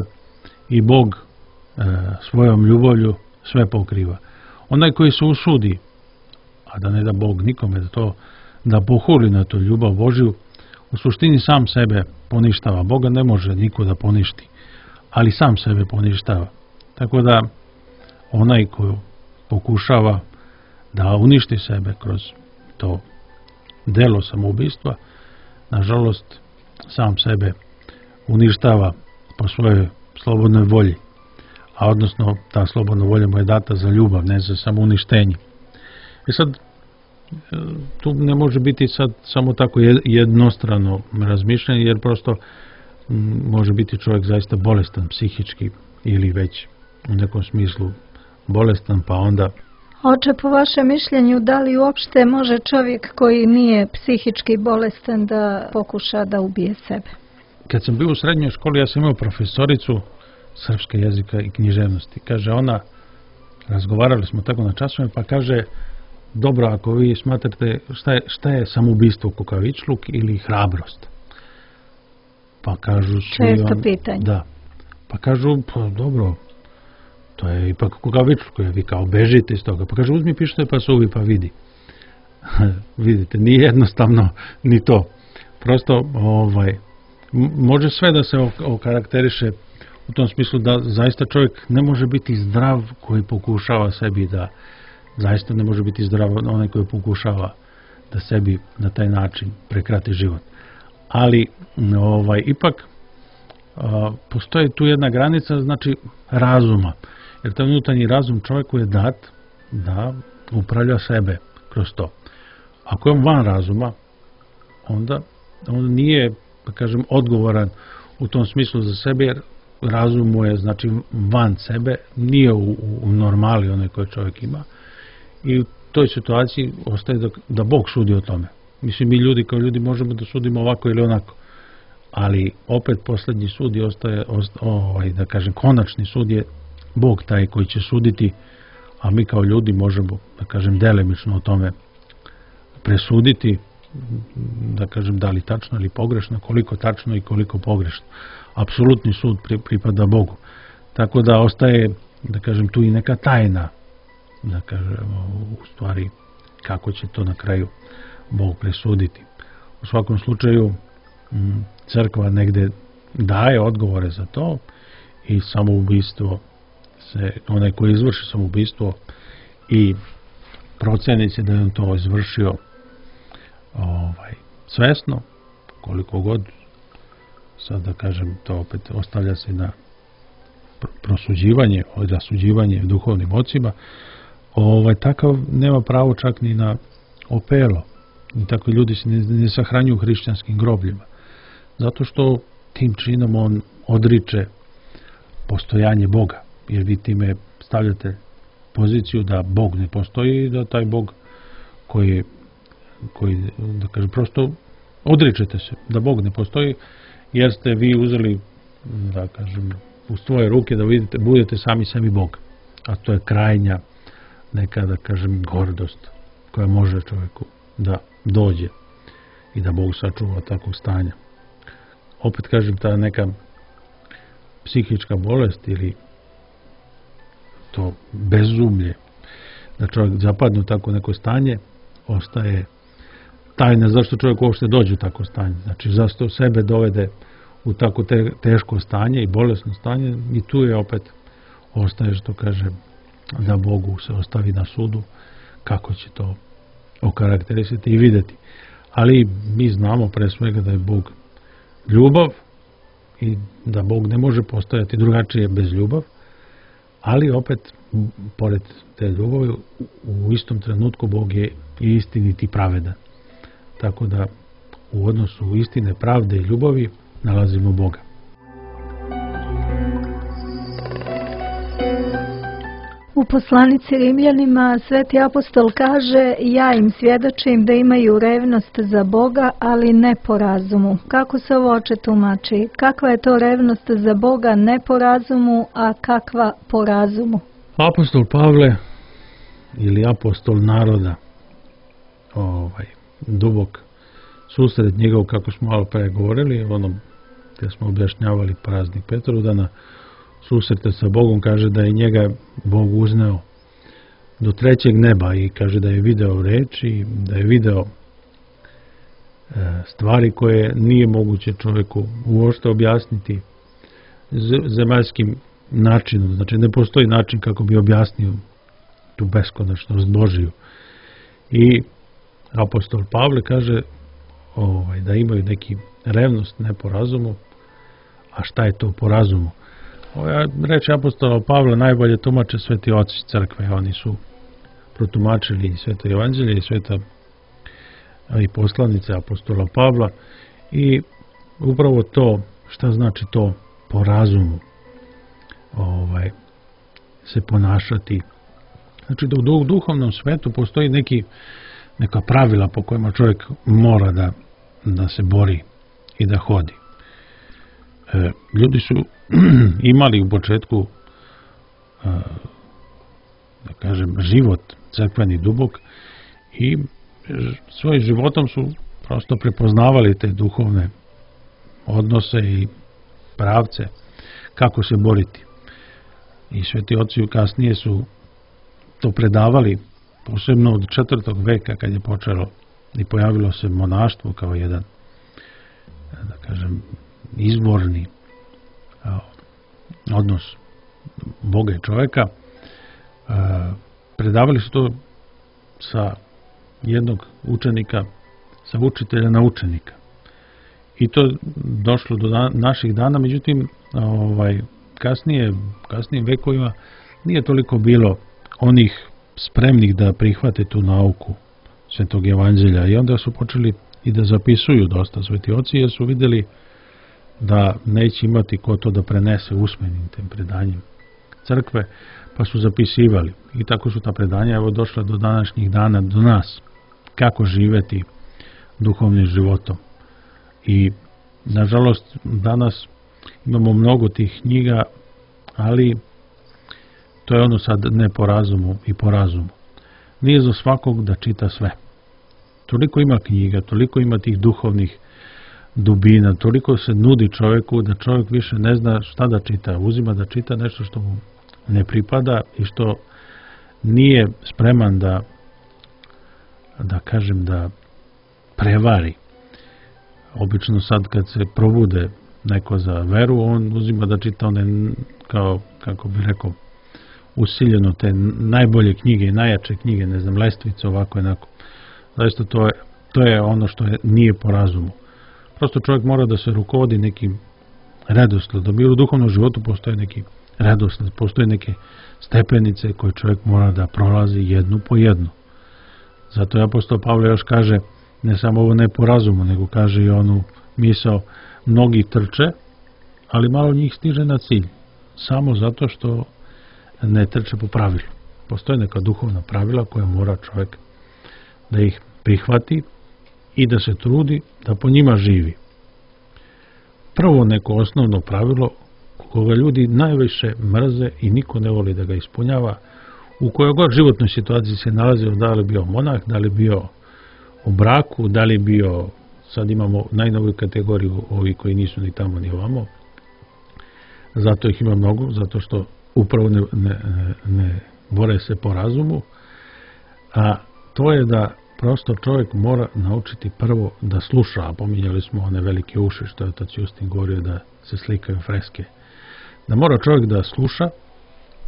i Bog svojom ljubavlju sve pokriva. Onaj koji se usudi, a da ne da Bog nikome da pohuli na tu ljubav Božju, u suštini sam sebe poništava. Boga ne može niko da poništi, ali sam sebe poništava. Tako da onaj koji pokušava da uništi sebe kroz to delo samoubistva, nažalost sam sebe uništava po svojoj slobodnoj volji, a odnosno ta slobodna volja mu je data za ljubav, ne za samouništenje. I sad tu ne može biti sad samo tako jednostrano razmišljanje, jer prosto može biti čovjek zaista bolestan psihički ili već u nekom smislu bolestan, pa onda... Oče, po vašem mišljenju, da li uopšte može čovjek koji nije psihički bolestan da pokuša da ubije sebe? Kad sam bio u srednjoj školi, ja sam imao profesoricu srpske jezika i književnosti. Kaže ona, razgovarali smo tako na časovima, pa kaže, dobro, ako vi smatrate šta je samoubistvo, kukavičluk ili hrabrost? Pa kažu... Često pitanje. Da. Pa kažu, pa dobro, to je ipak kukavičluk, vi kao bežite iz toga. Pa kaže, uzmi pištolj pa suvi pa vidi. Vidite, nije jednostavno ni to. Prosto, može sve da se okarakteriše u tom smislu da zaista čovjek ne može biti zdrav koji pokušava sebi da, zaista ne može biti zdrav onaj koji pokušava da sebi na taj način prekrati život. Ali ipak postoji tu jedna granica, znači razuma. Jer taj unutarnji razum čovjeku je dat da upravlja sebe kroz to. Ako je on van razuma, onda on nije, da kažem, odgovoran u tom smislu za sebe, jer razum mu je, znači, van sebe, nije u normali onaj koji čovjek ima. I u toj situaciji ostaje da Bog sudi o tome. Mislim, mi ljudi kao ljudi možemo da sudimo ovako ili onako. Ali opet posljednji sud ostaje, da kažem, konačni sud je Bog taj koji će suditi, a mi kao ljudi možemo, da kažem, delimično o tome presuditi, da kažem, da li tačno ili pogrešno, koliko tačno i koliko pogrešno. Apsolutni sud pripada Bogu. Tako da ostaje, da kažem, tu i neka tajna, da kažem, u stvari kako će to na kraju Bog presuditi. U svakom slučaju crkva negde daje odgovore za to i samoubistvo onaj koji izvrši samoubistvo i proceni se da je on to izvršio svesno, koliko god, sad da kažem, to opet ostavlja se na prosuđivanje, rasuđivanje duhovnim ocima, takav nema pravo čak ni na opelo. I tako ljudi se ne sahranjuju u hrišćanskim grobljima. Zato što tim činom on odriče postojanje Boga. Jer vi time stavljate poziciju da Bog ne postoji i da taj Bog koji da kažem, prosto odričete se da Bog ne postoji jer ste vi uzeli, da kažem, u svoje ruke da budete sami sebi Bog. A to je krajnja neka, da kažem, gordost koja može čovjeku da dođe i da Bog sačuva takvog stanja. Opet kažem, ta neka psihička bolest ili to bezumlje, da čovjek zapadne u tako neko stanje, ostaje tajna zašto čovjek uopšte dođe u tako stanje. Znači, zašto sebe dovede u tako teško stanje i bolesno stanje, i tu je opet ostaje, što kaže, da Bogu se ostavi na sudu kako će to okarakterisati i vidjeti. Ali mi znamo pre svega da je Bog ljubav i da Bog ne može postojati drugačije bez ljubav, ali opet, pored te ljubavi, u istom trenutku Bog je i istinit i pravedan. Tako da u odnosu istine, pravde i ljubavi nalazimo Boga. U poslanici Rimljanima sveti apostol kaže: ja im svjedočim da imaju revnost za Boga, ali ne po razumu. Kako se ovo oče tumači? Kakva je to revnost za Boga ne po razumu, a kakva po razumu? Apostol Pavle, ili apostol naroda, dubok susret njegov, kako smo malo pre govorili, gdje smo objašnjavali praznik Petrodana, susrete sa Bogom, kaže da je njega Bog uzneo do 3. neba i kaže da je video reči, da je video stvari koje nije moguće čovjeku uopšte objasniti zemaljskim načinom. Znači, ne postoji način kako bi objasnio tu beskonačnost Božiju. I apostol Pavle kaže da imaju neki revnost ne po razumu. A šta je to po razumu? Reči apostola Pavla najbolje tumače sveti oci crkve. Oni su protumačili sveto evanđelje i sveta i poslanice apostola Pavla, i upravo to, šta znači to po razumu se ponašati. Znači da u duhovnom svetu postoji neka pravila po kojima čovjek mora da se bori i da hodi. Ljudi su imali u početku, da kažem, život crkveni dubok i svojim životom su prosto prepoznavali te duhovne odnose i pravce kako se boriti. I sveti oci kasnije su to predavali, posebno od 4. veka kad je počelo i pojavilo se monaštvo kao jedan, da kažem, izborni odnos Boga i čovjeka. Predavali su to sa jednog učenika, sa učitelja na učenika. I to došlo do naših dana, međutim, kasnijim vekovima nije toliko bilo onih spremnih da prihvate tu nauku svetog evanđelja, i onda su počeli i da zapisuju dosta sveti oci, jer su vidjeli da neće imati ko to da prenese usmenim tem predanjem crkve, pa su zapisivali. I tako su ta predanja došla do današnjih dana, do nas, kako živeti duhovnim životom. I nažalost danas imamo mnogo tih knjiga, ali to je ono sad ne po razumu i po razumu. Nije za svakog da čita sve. Toliko ima knjiga, toliko ima tih duhovnih dubina, toliko se nudi čovjeku da čovjek više ne zna šta da čita. Uzima da čita nešto što mu ne pripada i što nije spreman da kažem, da prevari. Obično sad kad se probude neko za veru, on uzima da čita one, kao, kako bi rekao, usiljeno te najbolje knjige i najjače knjige, ne znam, lestvice, ovako jednako. Zaista to je ono što nije po razumu. Prosto čovjek mora da se rukovodi nekim redosledom. I u duhovnom životu postoje neki redosled, postoje neke stepenice koje čovjek mora da prolazi jednu po jednu. Zato je apostol Pavle još kaže, ne samo ovo ne po razumu, nego kaže i onu misao, mnogi trče, ali malo njih stiže na cilj. Samo zato što ne trče po pravilu. Postoje neka duhovna pravila koja mora čovjek da ih prihvati i da se trudi da po njima živi. prvo neko osnovno pravilo koga ljudi najviše mrze i niko ne voli da ga ispunjava, u kojoj god životnoj situaciji se nalazio, da li bio monah, da li bio u braku, da li bio, sad imamo najnoviju kategoriju, ovi koji nisu ni tamo ni ovamo, zato ih ima mnogo, zato što upravo ne bore se po razumu, a to je da prosto čovjek mora naučiti prvo da sluša, a pominjali smo one velike uši, što je otac Justin govorio da se slikaju freske, da mora čovjek da sluša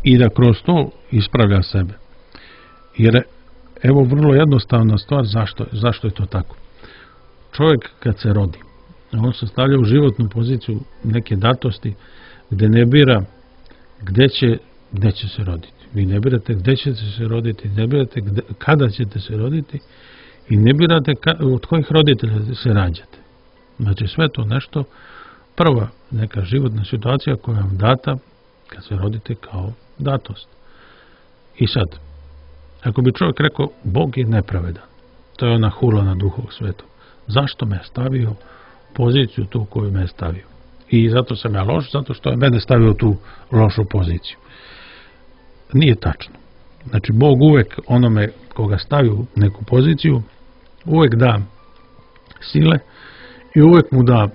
i da kroz to ispravlja sebe. Jer evo vrlo jednostavna stvar zašto je to tako. Čovjek kad se rodi, on se stavlja u životnu poziciju neke datosti gdje ne bira gdje će se roditi. Vi ne birate gdje ćete se roditi, ne birate kada ćete se roditi i ne birate od kojih roditelja se rađate. Znači sve to nešto, prva neka životna situacija koja vam data kad se rodite kao datost. I sad, ako bi čovjek rekao Bog je nepravedan, to je ona hula na Duhovog Svetog. Zašto me je stavio u poziciju tu koju me je stavio? I zato sam ja loš, zato što je mene stavio u tu lošu poziciju. Nije tačno. Znači, Bog uvek onome koga stavi u neku poziciju, uvek da sile i uvek mu da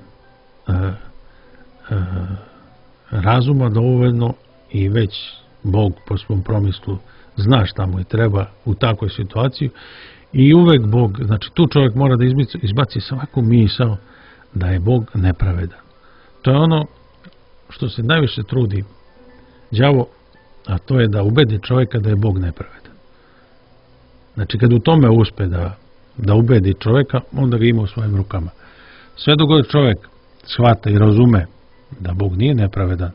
razuma dovoljno i već Bog po svom promislu zna šta mu je treba u takvoj situaciji i uvek Bog, znači tu čovjek mora da izbaci svaku misao da je Bog nepravedan. To je ono što se najviše trudi đavo, a to je da ubedi čovjeka da je Bog nepravedan. Znači kad u tome uspe da ubedi čovjeka, onda ga ima u svojim rukama. Sve dok god čovjek shvata i razume da Bog nije nepravedan,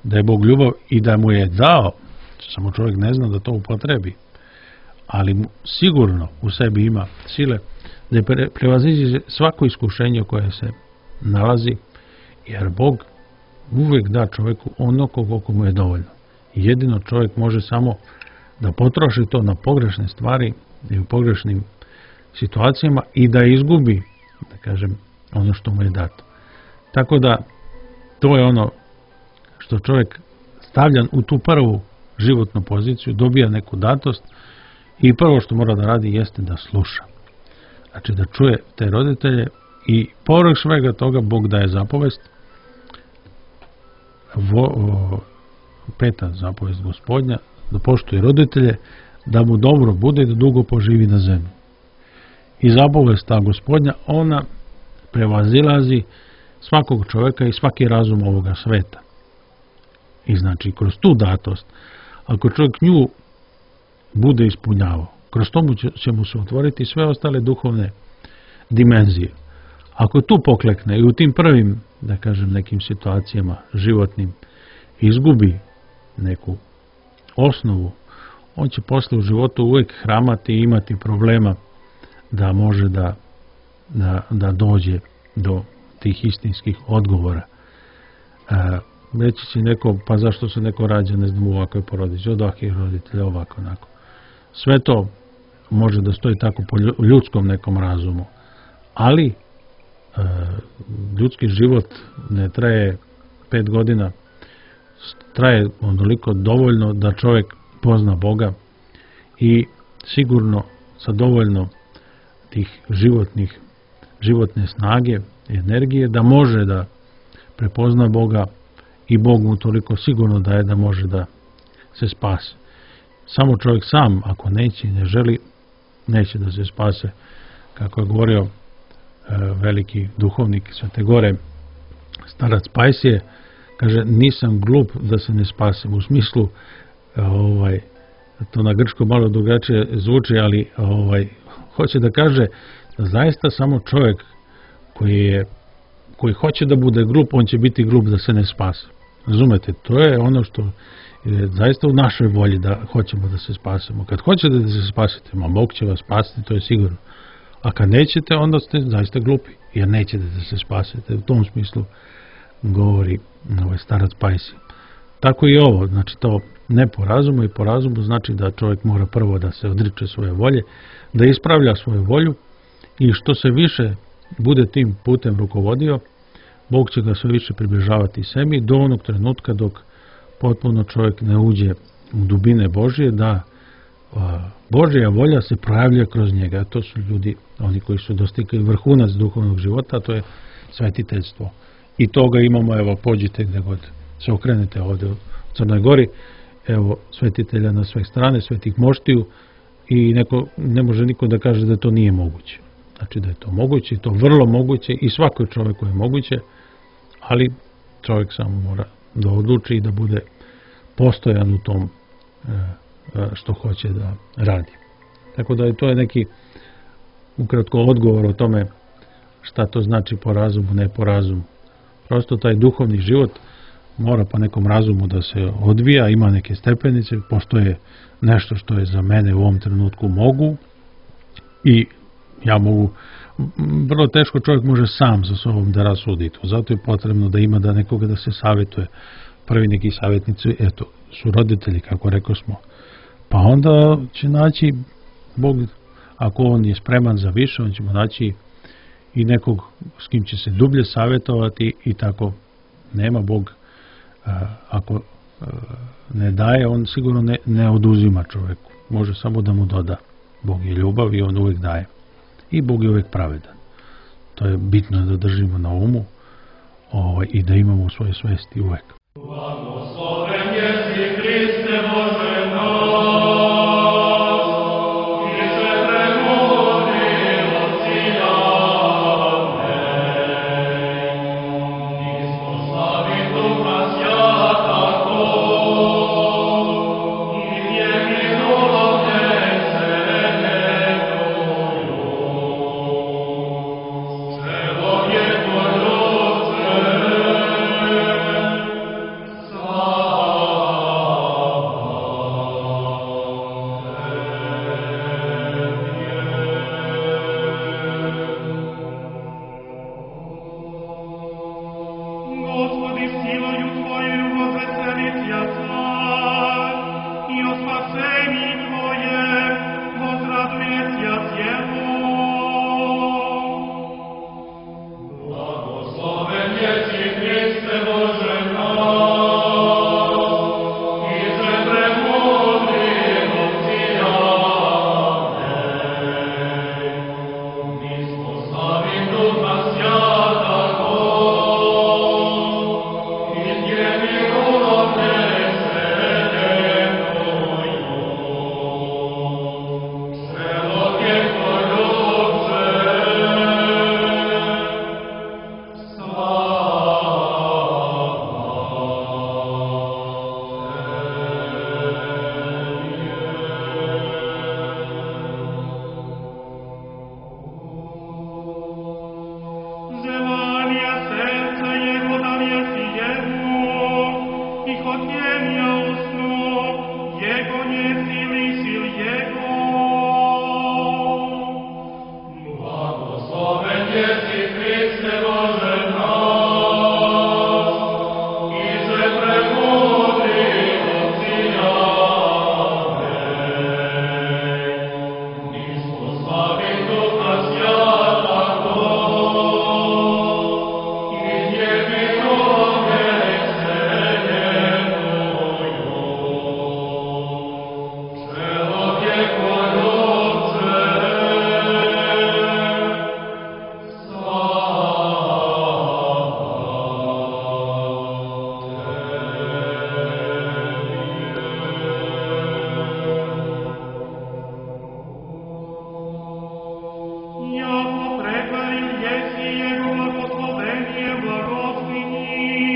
da je Bog ljubav i da mu je dao, samo čovjek ne zna da to upotrebi, ali mu sigurno u sebi ima sile da prevaziđe svako iskušenje koje se nalazi, jer Bog uvijek da čovjeku ono koliko mu je dovoljno. Jedino čovjek može samo da potroši to na pogrešne stvari i u pogrešnim situacijama i da izgubi, da kažem, ono što mu je dato. Tako da to je ono što čovjek stavljan u tu prvu životnu poziciju, dobija neku datost i prvo što mora da radi jeste da sluša. Znači da čuje te roditelje i povrh svega toga Bog daje zapovest, peta zapovest Gospodnja, da poštuje roditelje, da mu dobro bude i da dugo poživi na zemlji. I zapovest ta Gospodnja, ona prevazilazi svakog čovjeka i svaki razum ovoga sveta. I znači kroz tu datost, ako čovjek nju bude ispunjavao, kroz tomu će mu se otvoriti sve ostale duhovne dimenzije. Ako tu poklekne i u tim prvim, da kažem, nekim situacijama životnim izgubi neku osnovu, on će posle u životu uvijek hramati i imati problema da može da dođe do tih istinskih odgovora. Reći će neko, pa zašto se neko rađa, ne znam, u ovakvoj porodici, od ovakvih roditelja, ovako, onako. Sve to može da stoji tako po ljudskom nekom razumu, ali ljudski život ne traje 5 godina, traje onoliko dovoljno da čovjek pozna Boga i sigurno sa dovoljno tih životne snage i energije da može da prepozna Boga i Bog mu toliko sigurno daje da može da se spase. Samo čovjek sam, ako neće i ne želi, neće da se spase. Kako je govorio veliki duhovnik Svete Gore, starac Pajsije, kaže, nisam glup da se ne spasim. U smislu, to na grčko malo drugačije zvuči, ali hoće da kaže da zaista samo čovjek koji hoće da bude glup, on će biti glup da se ne spase. Razumete, to je ono što je zaista u našoj volji da hoćemo da se spasemo. Kad hoćete da se spasite, Bog će vas spasiti, to je sigurno. A kad nećete, onda ste zaista glupi, jer nećete da se spasite. U tom smislu govori starac Pajsije. Tako i ovo, znači to ne po razumu i po razumu znači da čovjek mora prvo da se odriče svoje volje, da ispravlja svoju volju i što se više bude tim putem rukovodio, Bog će ga sve više približavati sebi do onog trenutka dok potpuno čovjek ne uđe u dubine Božje, da Božja volja se projavlja kroz njega. To su ljudi, oni koji su dostigli vrhunac duhovnog života, to je svetiteljstvo. I toga imamo, evo, pođite gdje god se okrenete ovdje u Crnoj Gori, evo, svetitelja na sve strane, svetih moštiju, i ne može niko da kaže da to nije moguće. Znači da je to moguće, to vrlo moguće i svakoj čovjeku je moguće, ali čovjek samo mora da odluči i da bude postojan u tom što hoće da radi. Tako da to je neki ukratko odgovor o tome šta to znači po razumu, ne po razumu. Prosto taj duhovni život mora po nekom razumu da se odvija, ima neke stepenice, postoje nešto što je za mene u ovom trenutku mogu i ja mogu, vrlo teško čovjek može sam sa sobom da rasudi to. Zato je potrebno da ima da nekoga da se savjetuje. Prvi neki savjetnici, eto, su roditelji, kako rekao smo. Pa onda će naći Bog, ako on je spreman za više, on će mu naći i nekog s kim će se dublje savjetovati i tako. Nema Bog, ako ne daje, on sigurno ne oduzima čovjeku. Može samo da mu doda. Bog je ljubav i on uvijek daje. I Bog je uvijek pravedan. To je bitno da držimo na umu i da imamo u svojoj svesti uvijek. Blagosloven jesi Hriste Bože naš, i se premudri od ciljane. Nismo slavi Duha Sjatako, i je minulo djece nekoju. Celo je tvoj ruce, Господи, силою Твоею возвеселися царь, и о спасении Твоем возрадуется Его. Благословен еси Христе Боже наш, и же премудри от ціляне. Nismo slavi Duha Sjatako, iz nje milovne sredenoj. Celog je tvoj ruce, Желание сердца Его дареси Ему, и хотения уснов Его не силы сил Его. Благословен еси Христе Боже наш, и же премудри от ціляне. Nismo slavi Duha Sjatako, iz nje milovne sredenoj. Celog je tvoj ruce, Яко прехвалил еси Его благословение благословени,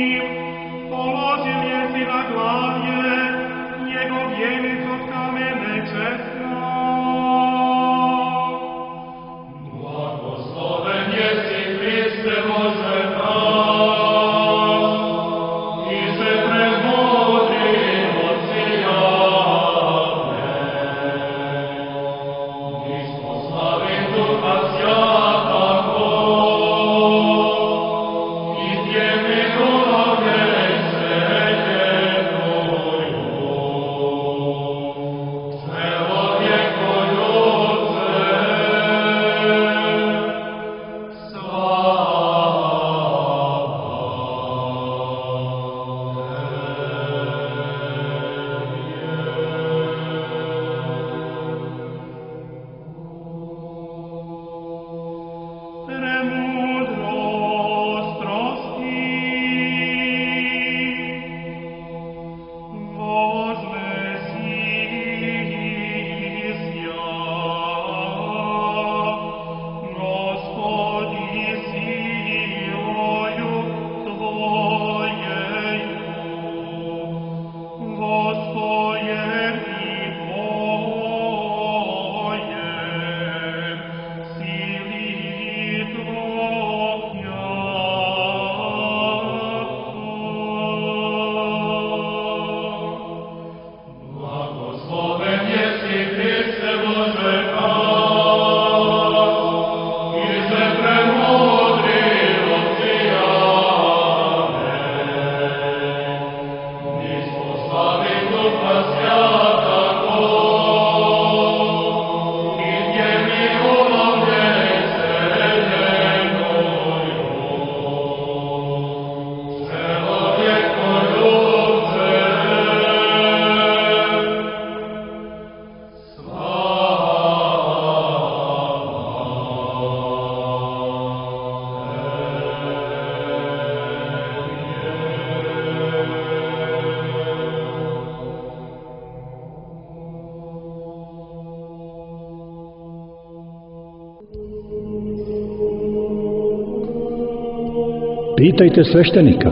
Pitajte sveštenika.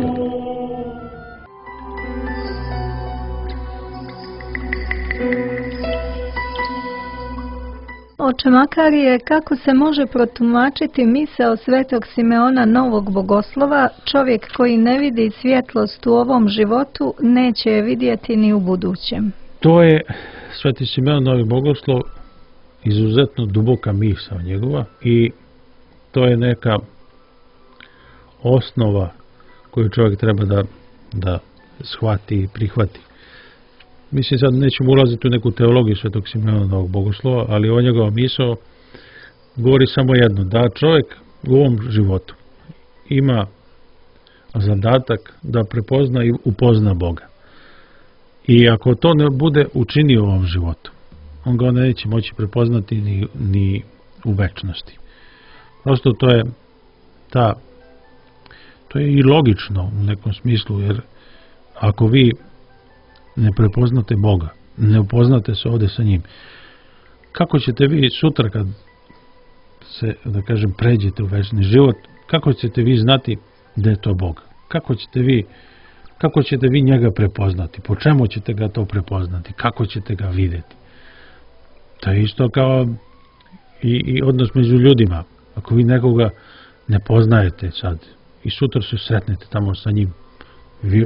Oče Makarije, kako se može protumačiti misao svetog Simeona Novog Bogoslova, čovjek koji ne vidi svjetlost u ovom životu, neće je vidjeti ni u budućem? To je sveti Simeon Novi Bogoslov, izuzetno duboka misao njegova i to je neka osnova koju čovjek treba da shvati i prihvati. Mislim, sad nećemo ulaziti u neku teologiju svetog Simeona Novog Bogoslova, ali o njegova misao govori samo jedno, da čovjek u ovom životu ima zadatak da prepozna i upozna Boga. I ako to ne bude učinio u ovom životu, on ga neće moći prepoznati ni u večnosti. Prosto to je i logično u nekom smislu, jer ako vi ne prepoznate Boga, ne upoznate se ovdje sa njim, kako ćete vi sutra kad se, da kažem, pređete u večni život, kako ćete vi znati da je to Bog? Kako ćete vi njega prepoznati? Po čemu ćete ga to prepoznati? Kako ćete ga vidjeti? To je isto kao i odnos među ljudima. Ako vi nekoga ne poznajete sad i sutra se sretnete tamo sa njim,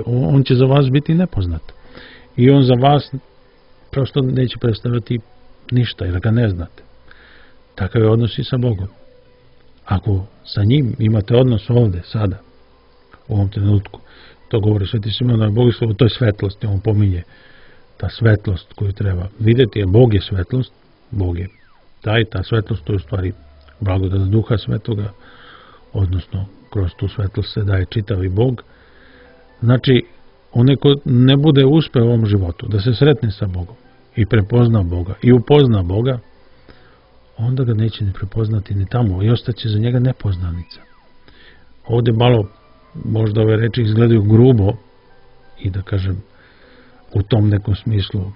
on će za vas biti nepoznat. I on za vas prosto neće predstavljati ništa, jer ga ne znate. Takav je odnos i sa Bogom. Ako sa njim imate odnos ovdje, sada, u ovom trenutku, to govori sveti Simeon Novi Bogoslov, to je svetlost, on pominje ta svetlost koju treba vidjeti, jer Bog je svetlost, Bog je ta svetlost, to je u stvari blagodat Duha Svetoga, odnosno kroz tu svetlost se daje čitavi Bog. Znači, onaj ko ne bude uspeo u ovom životu da se sretne sa Bogom i prepozna Boga i upozna Boga, onda ga neće ni prepoznati ni tamo i ostaće za njega nepoznanica. Ovdje malo možda ove reči izgledaju grubo i da kažem u tom nekom smislu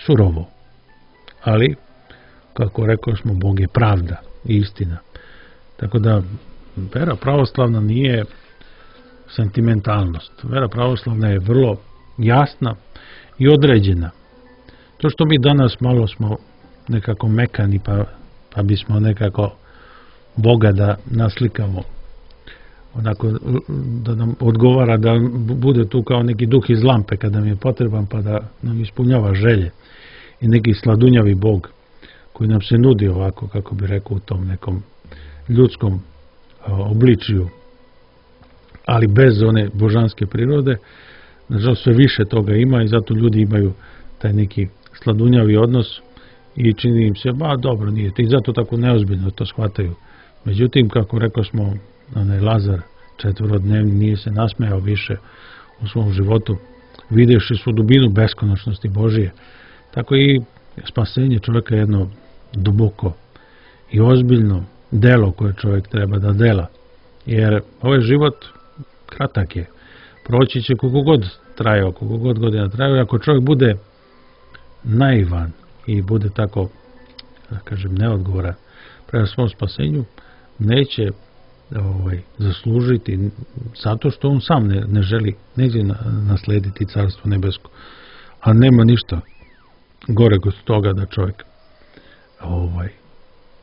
surovo, ali kako rekao smo, Bog je pravda i istina. Tako da vera pravoslavna nije sentimentalnost. Vera pravoslavna je vrlo jasna i određena. To što mi danas malo smo nekako mekani pa bismo nekako Boga da naslikamo, onako da nam odgovara, da bude tu kao neki duh iz lampe kada nam je potreban, pa da nam ispunjava želje, i neki sladunjavi Bog koji nam se nudi ovako, kako bi rekao, u tom nekom ljudskom obličju, ali bez one božanske prirode. Nažalost, sve više toga ima i zato ljudi imaju taj neki sladunjavi odnos i čini im se, dobro, nije, i zato tako neozbiljno to shvataju. Međutim, kako rekao smo, onaj Lazar četvorodnevni nije se nasmejao više u svom životu, vidjevši svu dubinu beskonačnosti Božije. Tako i spasenje čovjeka je jedno duboko i ozbiljno delo koje čovjek treba da dela. Jer ovaj život kratak je. Proći će koliko god trajao, koliko god godina trajao. Ako čovjek bude naivan i bude tako, da kažem, neodgovoran prema svom spasenju, neće zaslužiti, zato što on sam ne želi, neće naslediti Carstvo nebesko. A nema ništa gore kod toga da čovjek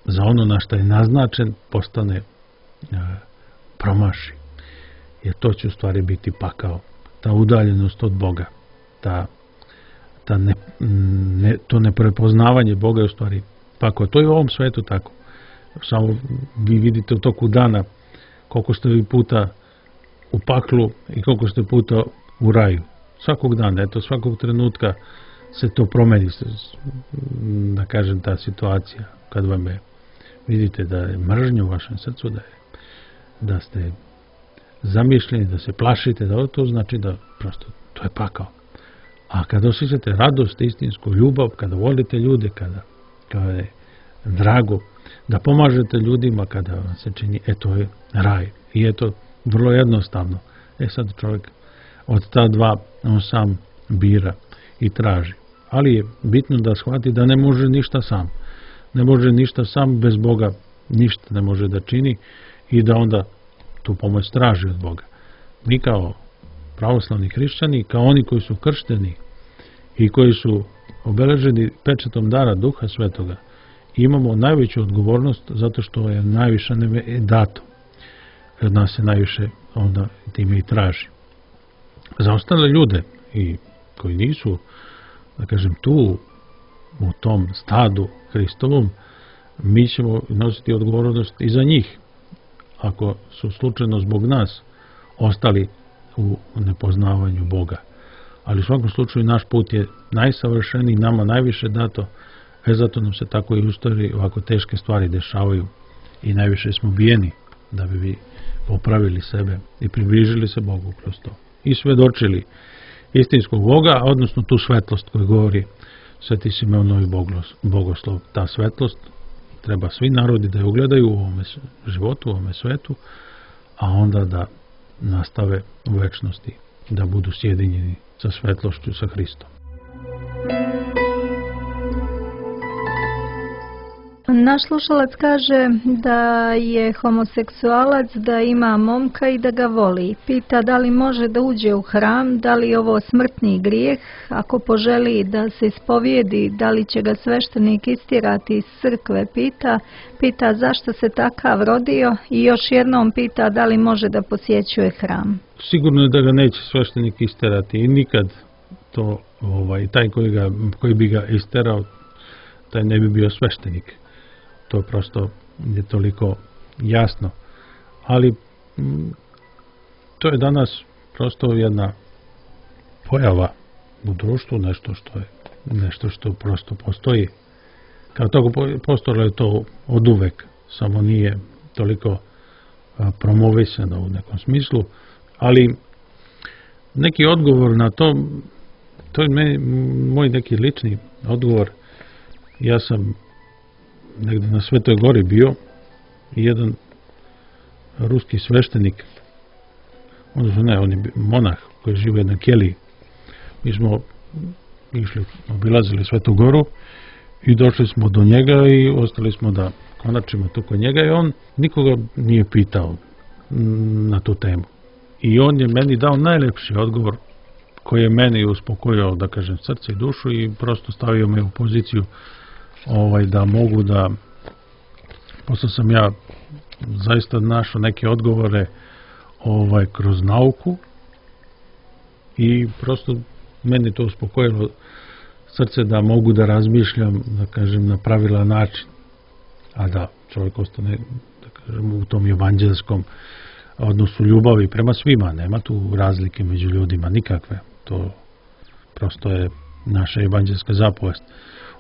za ono na što je naznačen postane promaši. Jer to će u stvari biti pakao. Ta udaljenost od Boga, to neprepoznavanje Boga je u stvari pakao. To je u ovom svetu tako. Samo vi vidite u toku dana koliko ste vi puta u paklu i koliko ste puta u raju. Svakog dana, svakog trenutka se to promeni, da kažem, ta situacija. Kad vam vidite da je mržnja u vašem srcu, da ste zamišljeni, da se plašite, da to znači da prosto to je pakao. A kada osjećate radost, istinsku ljubav, kada volite ljude, kada je drago, da pomažete ljudima, kada vam se čini, to je raj. I je to vrlo jednostavno. Sad čovjek od ta dva on sam bira i traži. Ali je bitno da shvati da ne može ništa sam. Ne može ništa sam, bez Boga ništa ne može da čini, i da onda tu pomoć traži od Boga. Mi kao pravoslavni hrišćani, kao oni koji su kršteni i koji su obeleženi pečatom dara Duha Svetoga, imamo najveću odgovornost zato što je najviše dato. Od nas se najviše onda time i traži. Za ostale ljude i koji nisu, da kažem, tu u tom stadu Hristovom, mi ćemo nositi odgovornost i za njih, ako su slučajno zbog nas ostali u nepoznavanju Boga. Ali u svakom slučaju naš put je najsavršeniji, nama najviše dato, zato nam se tako i u istoriji ovako teške stvari dešavaju i najviše smo bijeni da bi vi popravili sebe i približili se Bogu kroz to. I svedočili istinskog Boga, odnosno tu svetlost koju govori Sveti Simeon Novi Bogoslov. Ta svetlost treba svi narodi da je ugledaju u ovome životu, u ovome svetu, a onda da nastave u večnosti, da budu sjedinjeni sa svetlošću, sa Hristom. Naš slušalac kaže da je homoseksualac, da ima momka i da ga voli. Pita da li može da uđe u hram, da li je ovo smrtni grijeh, ako poželi da se ispovijedi, da li će ga sveštenik istjerati iz crkve, pita zašto se takav rodio i još jednom pita da li može da posjećuje hram. Sigurno je da ga neće sveštenik isterati i nikad to, taj koji bi ga isterao, taj ne bi bio sveštenik. To prosto je toliko jasno. Ali to je danas prosto jedna pojava u društvu, nešto što prosto postoji. Kao toga postojalo je to od uvek, samo nije toliko promovisano u nekom smislu, ali neki odgovor na to je moj neki lični odgovor. Ja sam negdje na Svetoj Gori bio i jedan ruski sveštenik, on je monah koji žive na keliji. Mi smo obilazili Svetu Goru i došli smo do njega i ostali smo da konačimo tu kod njega i on nikoga nije pitao na tu temu. I on je meni dao najlepši odgovor koji je meni uspokojio, da kažem, srce i dušu i prosto stavio me u poziciju da mogu da, posle sam ja zaista našao neke odgovore kroz nauku i prosto meni to uspokojilo srce da mogu da razmišljam, da kažem, na pravilan način, a da čovjek ostane, da kažem, u tom evanđelskom odnosu ljubavi prema svima, nema tu razlike među ljudima nikakve, to prosto je naša evanđelska zapovest.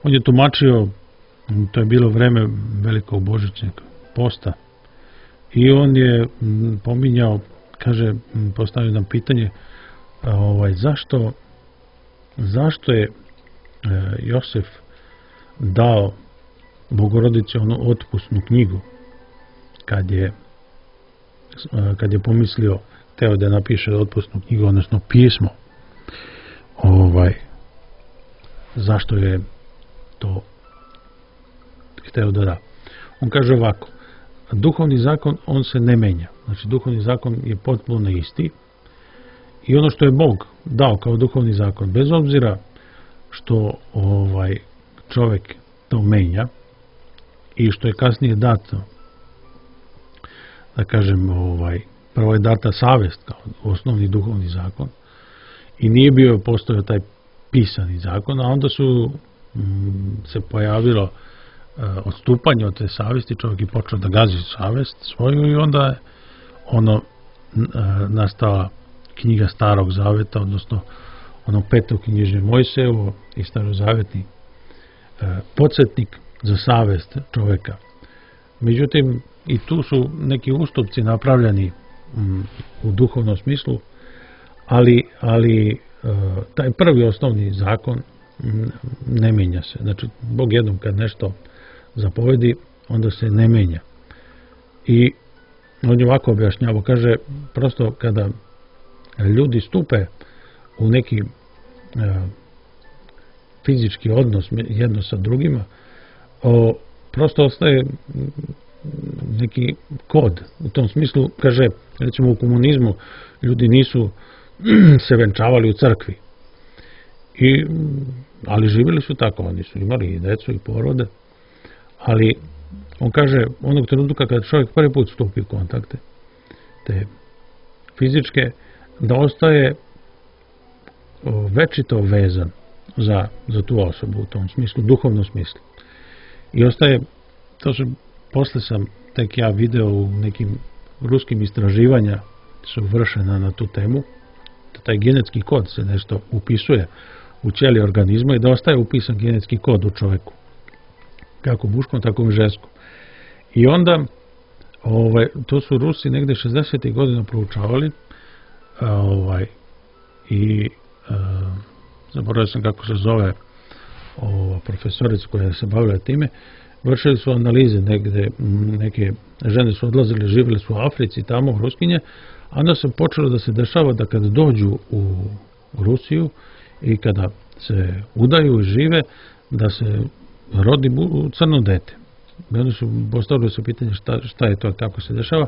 On je tumačio, to je bilo vreme velikog božićnog posta i on je pominjao, kaže, postavio nam pitanje, zašto je Josef dao Bogorodici onu otpusnu knjigu kad je pomislio, teo da napiše otpusnu knjigu, odnosno pismo, zašto je to hteo da da. On kaže ovako, duhovni zakon, on se ne menja. Znači, duhovni zakon je potpuno isti i ono što je Bog dao kao duhovni zakon, bez obzira što čovjek to menja i što je kasnije dato, da kažem, prvo je data savest kao osnovni duhovni zakon i nije postojao taj pisani zakon, a onda su se pojavilo odstupanje od te savesti, čovjek je počeo da gazi savest svoju i onda je nastala knjiga Starog Zaveta, odnosno petoknjižje Mojsejevo i starozavetni podsjetnik za savest čovjeka. Međutim, i tu su neki ustupci napravljeni u duhovnom smislu, ali taj prvi osnovni zakon ne menja se. Znači, Bog jednom kad nešto zapovedi, onda se ne menja. I on je ovako objašnjava, kaže, prosto kada ljudi stupe u neki fizički odnos jedno sa drugima, prosto ostaje neki kod. U tom smislu, kaže, recimo u komunizmu ljudi nisu se venčavali u crkvi. Ali živjeli su tako, oni su imali i decu i porode, ali on kaže, onog trenutka kada čovjek prvi put stupi u kontakte, te fizičke, da ostaje večito vezan za tu osobu u tom smislu, duhovnom smislu. I ostaje, posle sam tek ja video u nekim ruskim istraživanja su vršena na tu temu, da taj genetski kod se nešto upisuje u ćeliji organizma i da ostaje upisan genetski kod u čoveku. Kako muškom, tako i ženskom. I onda, to su Rusi negde 60. godina proučavali i zaboravio sam kako se zove profesorica koja se bavila time, vršili su analize negde, neke žene su odlazile, živjeli su u Africi, tamo, Ruskinje, a onda se počelo da se dešava da kada dođu u Rusiju i kada se udaju i žive, da se rodi crno dete. I onda su postavili se pitanje šta je to, kako se dešava,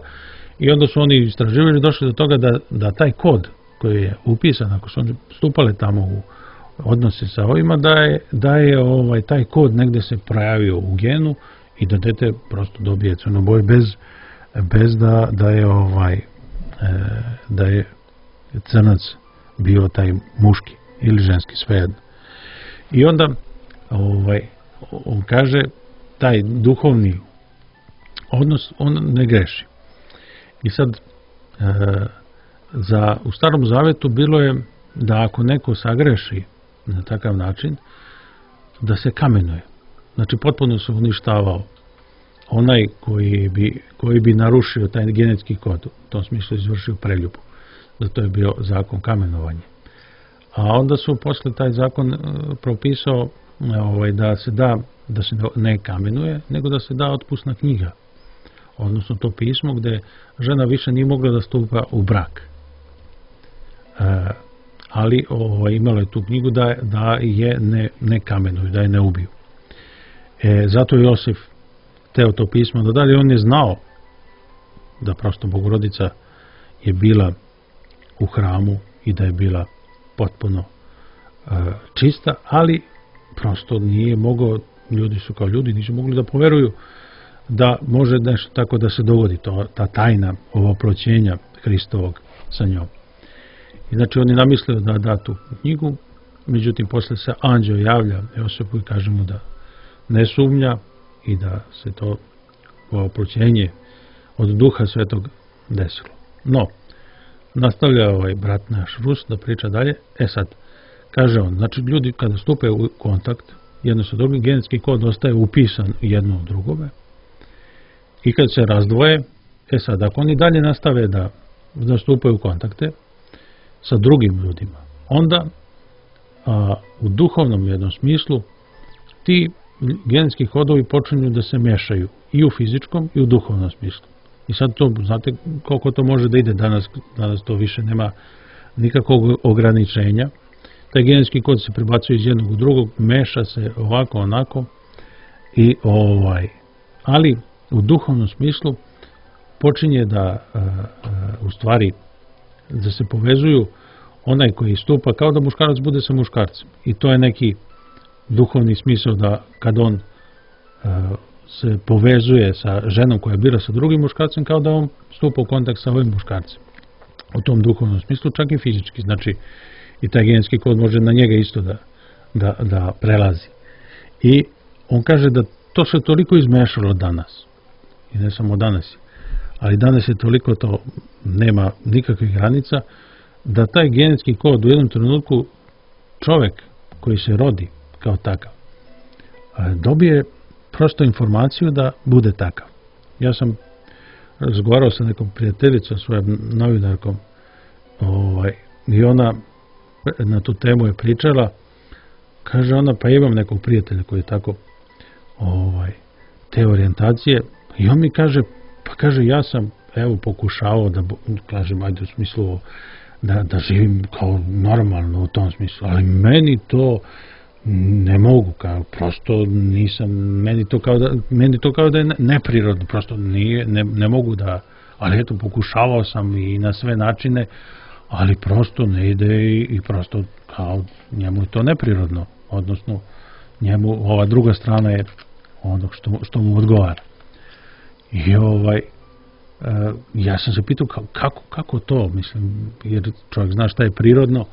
i onda su oni istraživali, došli do toga da taj kod koji je upisan, ako su oni stupali tamo u odnose sa ovima, da je taj kod negde se projavio u genu i da dete prosto dobije crnu boju bez da je crnac bio taj muški ili ženski, svejedno. I onda on kaže, taj duhovni odnos, on ne greši. I sad, u Starom Zavetu bilo je da ako neko sagreši na takav način, da se kamenuje. Znači, potpuno se uništavao onaj koji bi narušio taj genetski kod, u tom smislu izvršio preljubu. Zato je bio zakon kamenovanja. A onda su posle taj zakon propisao da se ne kamenuje, nego da se da otpusna knjiga. Odnosno to pismo gde žena više nije mogla da stupa u brak. Ali imala je tu knjigu da je ne kamenuju, da je ne ubiju. Zato je Josif teo to pismo da dalje, on je znao da prosto Bogorodica je bila u hramu i da je bila potpuno čista, ali prosto nije mogao, ljudi su kao ljudi, nisu mogli da poveruju da može nešto tako da se dogodi, ta tajna ovoproćenja Hristovog sa njom. I znači on je namislio da da tu knjigu, međutim posle se anđeo javlja Josipu i kaže mu da ne sumnja i da se to oproćenje od Duha Svetog desilo. No, nastavlja brat naš Rus da priča dalje. Sad, kaže on, znači ljudi kada stupe u kontakt jedno sa drugim, genetski kod ostaje upisan jedno u drugome i kad se razdvoje, sad, ako oni dalje nastave da stupaju u kontakte sa drugim ljudima, onda u duhovnom jednom smislu ti genetski kodovi počinju da se mešaju i u fizičkom i u duhovnom smislu. I sad to, znate koliko to može da ide danas to više nema nikakvog ograničenja. Taj genetski kod se prebacuje iz jednog u drugog, meša se ovako, onako, ali u duhovnom smislu počinje u stvari, da se povezuju onaj koji stupa kao da muškarac bude sa muškarcem. I to je neki duhovni smisao da kad on se povezuje sa ženom koja bira sa drugim muškarcem, kao da on stupa u kontakt sa ovim muškarcem. U tom duhovnom smislu, čak i fizički. Znači, i taj genetski kod može na njega isto da prelazi. I on kaže da to se toliko izmešalo danas. I ne samo danas. Ali danas je toliko to, nema nikakvih granica, da taj genetski kod u jednom trenutku čovek koji se rodi kao takav dobije prosto informaciju da bude takav. Ja sam razgovarao sa nekom prijateljicom, svojom novinarkom, i ona na tu temu je pričala, kaže ona, pa imam nekog prijatelja koji je tako te orijentacije, i on mi kaže, pa kaže, ja sam pokušavao da, kažem, ajde u smislu da živim kao normalno u tom smislu, ali meni to ne mogu, prosto nisam, meni to kao da je neprirodno, prosto ne mogu da, ali eto, pokušavao sam i na sve načine, ali prosto ne ide i prosto kao njemu je to neprirodno, odnosno njemu ova druga strana je ono što mu odgovara. I ja sam se pitao kako to, mislim, jer čovjek zna šta je prirodno,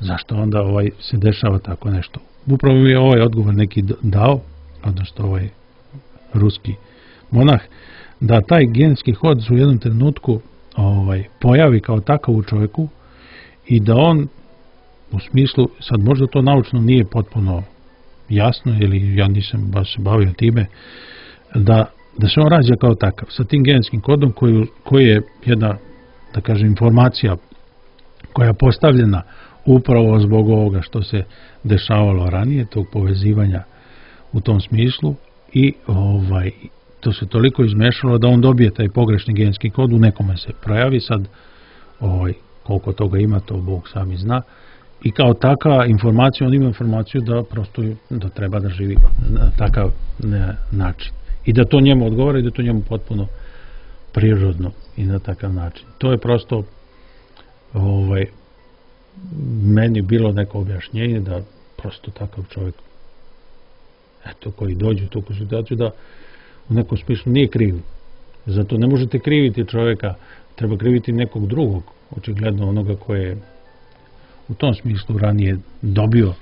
zašto onda se dešava tako nešto. Upravo mi je ovaj odgovor neki dao, odnosno ovaj ruski monah, da taj genski hod u jednom trenutku pojavi kao takav u čovjeku i da on, u smislu, sad možda to naučno nije potpuno jasno, ili ja nisam baš se bavio time, da se on rađa kao takav, sa tim genskim kodom koji je jedna, da kažem, informacija koja je postavljena upravo zbog ovoga što se dešavalo ranije, tog povezivanja u tom smislu, i to se toliko izmešalo da on dobije taj pogrešni genski kod, u nekome se projavi, sad koliko toga ima, to Bog sami zna, i kao taka informacija, on ima informaciju da prosto da treba da živi na takav način. I da to njemu odgovara i da to njemu potpuno prirodno i na takav način. To je prosto meni bilo neko objašnjenje da prosto takav čovjek, eto, koji dođe u tu situaciju, da u nekom smislu nije kriv. Zato ne možete kriviti čovjeka, treba kriviti nekog drugog, očigledno onoga koje je u tom smislu ranije dobio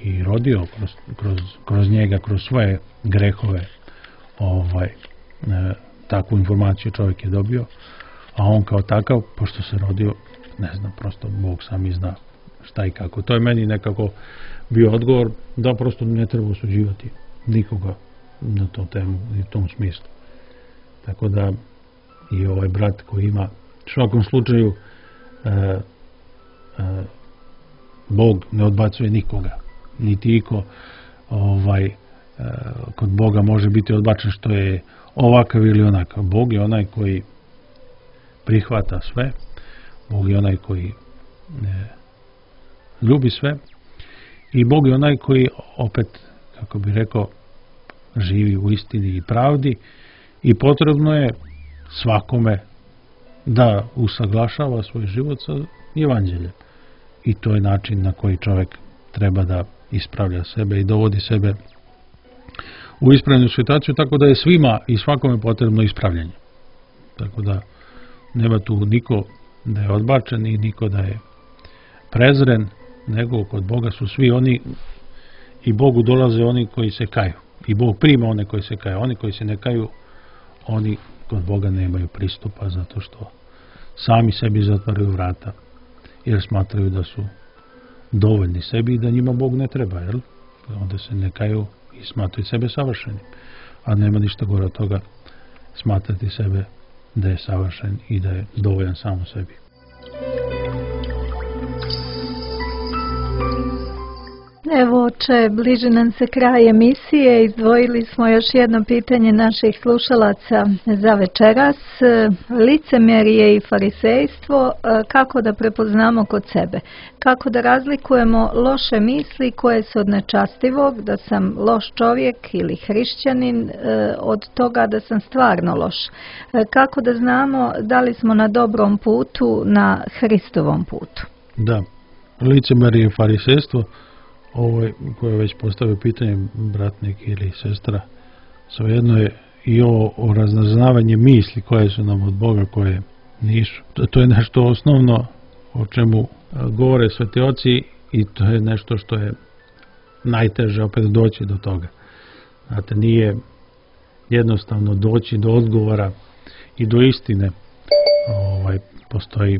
i rodio kroz njega, kroz svoje grehove, takvu informaciju čovjek je dobio, a on kao takav, pošto se rodio, ne znam, prosto Bog sami zna šta i kako. To je meni nekako bio odgovor da prosto ne treba osuđivati nikoga na tu temu i u tom smislu. Tako da i ovaj brat koji ima, u svakom slučaju, Bog ne odbacuje nikoga, niti iko kod Boga može biti odbačen što je ovakav ili onakav. Bog je onaj koji prihvata sve, Bog je onaj koji ljubi sve i Bog je onaj koji opet, kako bi rekao, živi u istini i pravdi i potrebno je svakome da usaglašava svoj život sa evanđeljem. I to je način na koji čovjek treba da ispravlja sebe i dovodi sebe u ispravljenu situaciju, tako da je svima i svakome potrebno ispravljanje. Tako da nema tu niko da je odbačen i niko da je prezren, nego kod Boga su svi oni i Bogu dolaze oni koji se kaju. I Bog prima one koji se kaju. Oni koji se ne kaju, oni kod Boga nemaju pristupa zato što sami sebi zatvaraju vrata jer smatraju da su dovoljni sebi i da njima Bog ne treba, jel? Onda se ne kaju i smatraju sebe savršenim. A nema ništa gore od toga smatrati sebe da je savršen i da je dovoljan samo sebi. Evo, oče, bliži nam se kraj emisije. Izdvojili smo još jedno pitanje naših slušalaca za večeras. Licemjerje i farisejstvo, kako da prepoznamo kod sebe? Kako da razlikujemo loše misli koje su od nečastivog, da sam loš čovjek ili hrišćanin, od toga da sam stvarno loš? Kako da znamo da li smo na dobrom putu, na Hristovom putu? Da, licemjerje i farisejstvo, koje je već postavio pitanje bratnik ili sestra, svejedno je i o raznaznavanje misli koje su nam od Boga, koje nisu. To je nešto osnovno o čemu govore sveti oci i to je nešto što je najteže opet doći do toga. Znate, nije jednostavno doći do odgovora i do istine. Postoji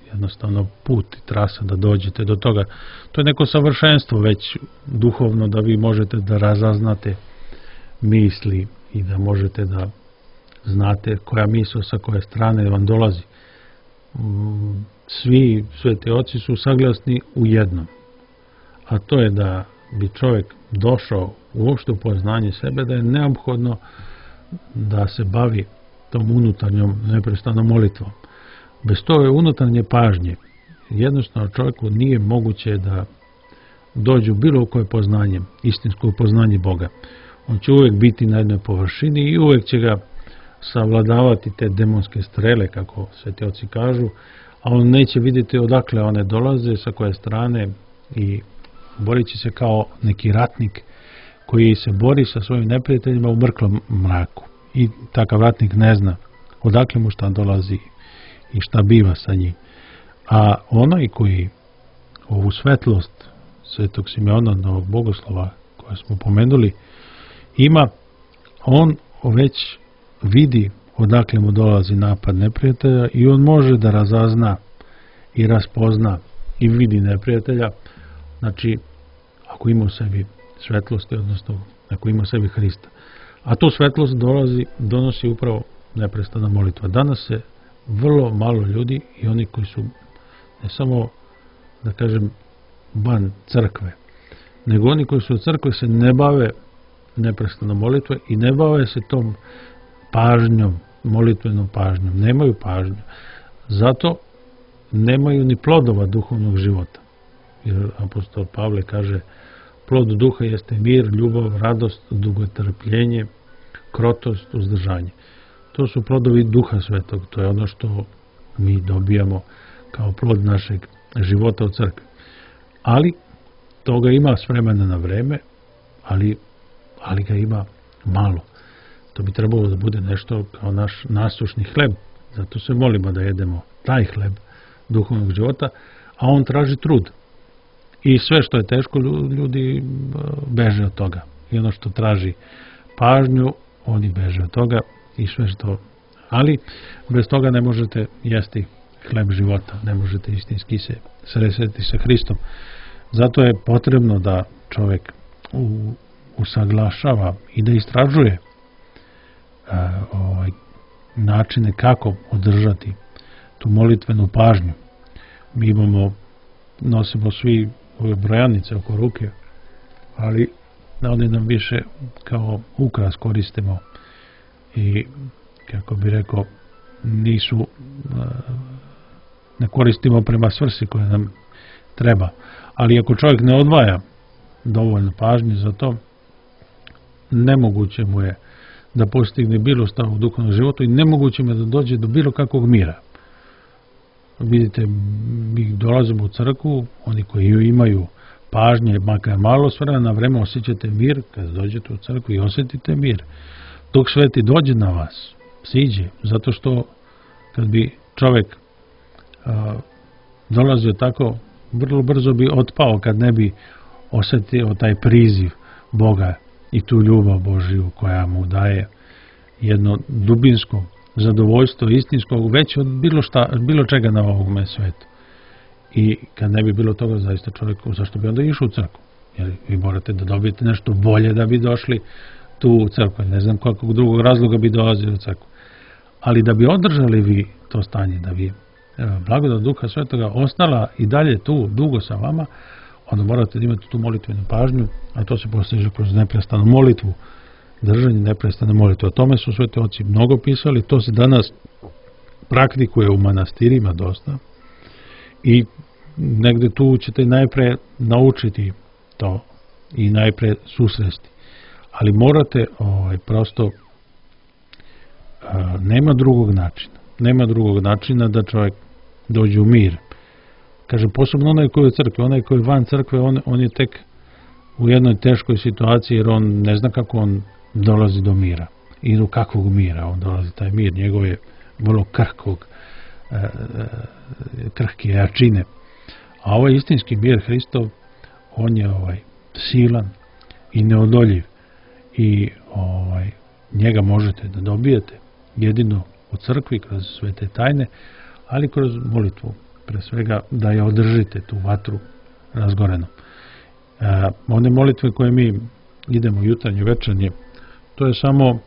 jednostavno put i trasa da dođete do toga. To je neko savršenstvo već duhovno da vi možete da razaznate misli i da možete da znate koja misao sa koje strane vam dolazi. Svi sveti oci su saglasni u jednom, a to je da bi čovjek došao uopšte u poznanje sebe, da je neophodno da se bavi tom unutarnjom neprestanom molitvom. Bez toga unutarnje pažnje jednostavno čovjeku nije moguće da dođe u bilo koje poznanje, istinsko poznanje Boga. On će uvijek biti na jednoj površini i uvijek će ga savladavati te demonske strele, kako sveti oci kažu, a on neće vidjeti odakle one dolaze, sa koje strane, i borit će se kao neki ratnik koji se bori sa svojim neprijateljima u mrklom mraku. I takav ratnik ne zna odakle mu šta dolazi i šta biva sa njim. A onaj koji ovu svetlost svetog Simeona, novog bogoslova, koje smo pomenuli, ima, on već vidi odakle mu dolazi napad neprijatelja i on može da razazna i raspozna i vidi neprijatelja. Znači, ako ima u sebi svetlosti, odnosno ako ima u sebi Hrista. A tu svetlost donosi upravo neprestana molitva. Danas se vrlo malo ljudi, i oni koji su ne samo, da kažem, van crkve, nego oni koji su u crkve se ne bave neprestano molitve i ne bave se tom pažnjom, molitvenom pažnjom. Nemaju pažnju. Zato nemaju ni plodova duhovnog života. Jer apostol Pavle kaže, plod duha jeste mir, ljubav, radost, dugotrpljenje, krotost, uzdržanje. To su plodovi duha svetog. To je ono što mi dobijamo kao plod našeg života u crkvi. Ali toga ima s vremena na vreme, ali ga ima malo. To bi trebalo da bude nešto kao naš nasušni hleb. Zato se molimo da jedemo taj hleb duhovnog života, a on traži trud. I sve što je teško, ljudi beže od toga. I ono što traži pažnju, oni beže od toga i sve što... Ali bez toga ne možete jesti hleb života, ne možete istinski se sresti sa Hristom. Zato je potrebno da čovjek usaglašava i da istražuje načine kako održati tu molitvenu pažnju. Mi nosimo svi ove brojanice oko ruke, ali one nam više kao ukras koristimo i, kako bi rekao, ne koristimo prema svrsi koja nam treba. Ali ako čovjek ne odvaja dovoljno pažnje za to, nemoguće mu je da postigne bilo šta u duhovnom životu i nemoguće mu je da dođe do bilo kakvog mira. Vidite, mi dolazimo u crkvu, oni koji imaju pažnje, makar malo, s vremena na vreme osjećate mir, kad dođete u crkvu i osjetite mir. Dok Sveti dođe na vas, siđe, zato što kad bi čovjek dolazio tako, vrlo brzo bi otpao kad ne bi osjetio taj priziv Boga i tu ljubav Božiju koja mu daje jedno dubinsko zadovoljstvo istinskog već od bilo čega na ovome svetu. I kad ne bi bilo toga, zaista čovjeku, zašto bi onda išao u crkvu? Jer vi morate da dobijete nešto bolje da bi došli tu u crkvu. Ne znam kakvog drugog razloga bi dolazili u crkvu. Ali da bi održali vi to stanje, da bi blagodat Duha Svetoga ostala i dalje tu dugo sa vama, onda morate da imate tu molitvenu pažnju, a to se postiže kroz neprestanu molitvu, držanje neprestane molitve. O tome su sveti oci mnogo pisali, to se danas praktikuje u manastirima dosta i negde tu ćete najpre naučiti to i najpre susresti. Ali morate prosto nema drugog načina da čovjek dođe u mir. Kaže, posebno onaj koji je u crkvi, onaj koji je van crkve, on je tek u jednoj teškoj situaciji, jer on ne zna kako on dolazi do mira. I do kakvog mira on dolazi taj mir. Njegov je vrlo krhke jačine. A ovaj istinski mir Hristov, on je silan i neodoljiv. I njega možete da dobijete jedino u crkvi kroz svete tajne, ali kroz molitvu. Pre svega da je održite tu vatru razgorenu. One molitve koje mi idemo jutarnje, večernje, to je samo,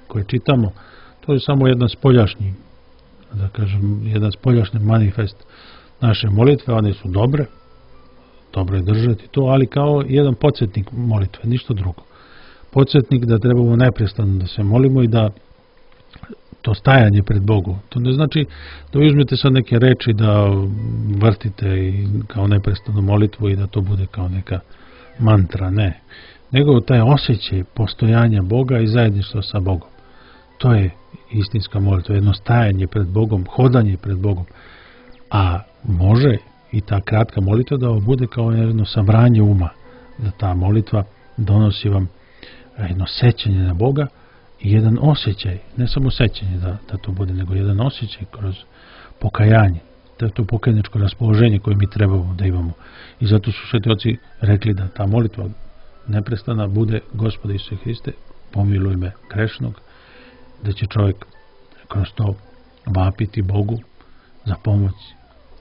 koje čitamo, to je samo jedan spoljašnji, da kažem, jedan spoljašnji manifest naše molitve. One su dobre, dobro je držati to, ali kao jedan podsjetnik molitve, ništa drugo. Podsjetnik da trebamo neprestano da se molimo i da to stajanje pred Bogom. To ne znači da uzmete sad neke reči da vrtite i kao neprestanu molitvu i da to bude kao neka mantra, ne. Nego taj osjećaj postojanja Boga i zajedništva sa Bogom. To je istinska molitva, jedno stajanje pred Bogom, hodanje pred Bogom. A može i ta kratka molitva da bude kao jedno sabranje uma, da ta molitva donosi vam jedno sećanje na Boga i jedan osjećaj, ne samo sećanje da to bude, nego jedan osjećaj kroz pokajanje. To je to pokajničko raspoloženje koje mi trebamo da imamo. I zato su sveti oci rekli da ta molitva neprestana bude: Gospode Isuse Hriste, pomiluj me grešnog, da će čovjek kroz to vapiti Bogu za pomoć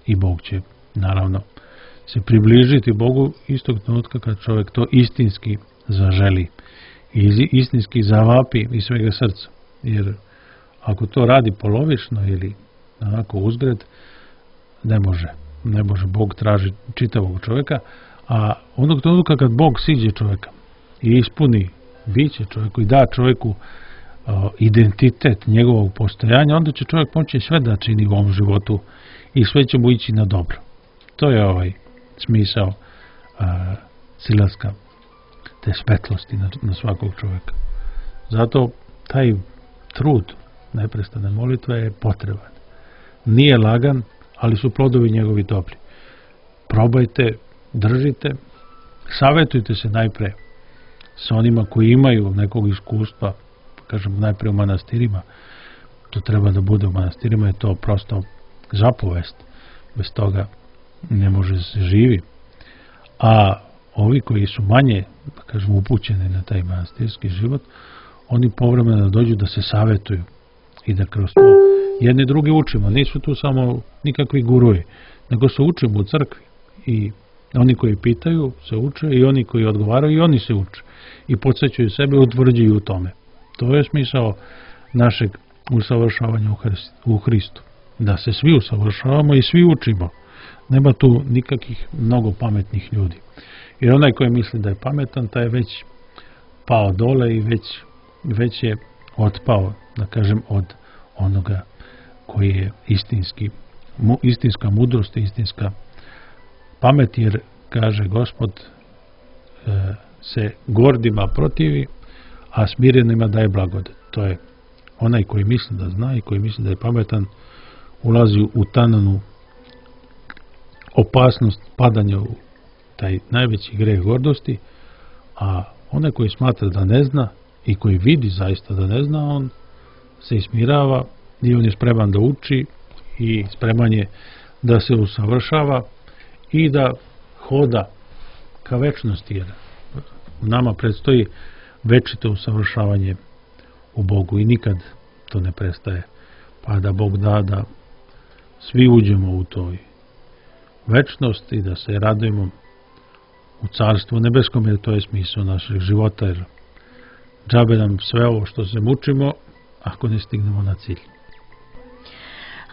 i Bog će naravno se približiti Bogu istog trenutka kad čovjek to istinski zaželi i istinski zavapi iz svega srca. Jer ako to radi polovično ili onako uzgred, ne može. Bog traži čitavog čovjeka, a onog trenutka kad Bog siđe čovjeka i ispuni biće čovjeku i da čovjeku identitet njegovog postojanja, onda će čovjek moći sve da čini u ovom životu i sve će mu ići na dobro. To je smisao silaska te svetlosti na svakog čovjeka. Zato taj trud neprestane molitve je potreban. Nije lagan, ali su plodovi njegovi dobri. Probajte, držite, savjetujte se najpre sa onima koji imaju nekog iskustva, kažem najpre u manastirima. To treba da bude u manastirima, je to prosto zapovest. Bez toga ne može se živi. A ovi koji su manje, da kažem, upućeni na taj manastirski život, oni povremeno dođu da se savjetuju i da kroz to jedni drugi učimo. Nisu tu samo nikakvi guruji, nego se učimo u crkvi. I oni koji pitaju se uče i oni koji odgovaraju i oni se uče. I podsjećaju sebe i utvrđuju u tome. To je smisao našeg usavršavanja u Hristu. Da se svi usavršavamo i svi učimo. Nema tu nikakvih mnogo pametnih ljudi. Jer onaj koji misli da je pametan, taj je već pao dole i već je otpao, da kažem, od onoga koji je istinska mudrost i istinska pamet, jer kaže Gospod se gordima protivi, a smirenima daje blagodat. To je onaj koji misli da zna i koji misli da je pametan, ulazi u tananu opasnost padanja u taj najveći greh gordosti, a onaj koji smatra da ne zna i koji vidi zaista da ne zna, on se ismirava i on je spreman da uči i spreman je da se usavršava i da hoda ka večnosti, jer nama predstoji večito usavršavanje u Bogu i nikad to ne prestaje, pa da Bog da svi uđemo u toj večnost i da se radujemo u carstvu nebeskom, jer to je smisao našeg života, jer džabe nam sve ovo što se mučimo ako ne stignemo na cilj.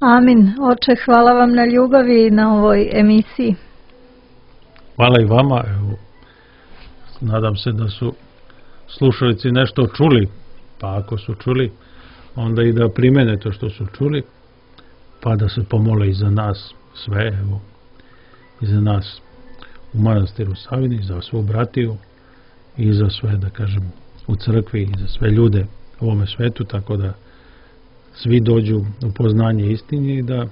Amin. Oče, hvala vam na ljubavi na ovoj emisiji. Hvala i vama. Evo, nadam se da su slušalici nešto čuli, pa ako su čuli, onda i da primene to što su čuli, pa da se pomole i za nas sve, evo, i za nas u manastiru Savini, za svu bratiju i za sve, da kažem, u crkvi i za sve ljude u ovome svetu, tako da svi dođu u poznanje istine i da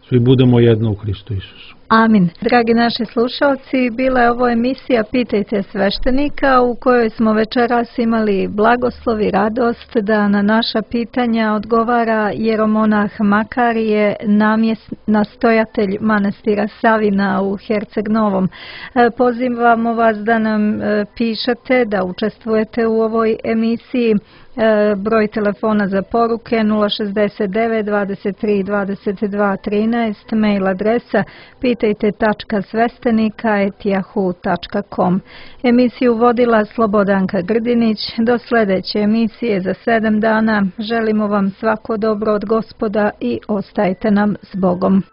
svi budemo jedno u Hristu Isusu. Amin. Dragi naši slušalci, bila je ovo emisija Pitajte sveštenika, u kojoj smo večeras imali blagoslov i radost da na naša pitanja odgovara jeromonah Makarije, nastojatelj manastira Savina u Herceg Novom. Pozivamo vas da nam pišete, da učestvujete u ovoj emisiji. Broj telefona za poruke 069 23 22 13, mail adresa pitajte.svestenika@yahoo.com. Emisiju vodila Slobodanka Grdinić. Do sljedeće emisije za 7 dana. Želimo vam svako dobro od Gospoda i ostajte nam s Bogom.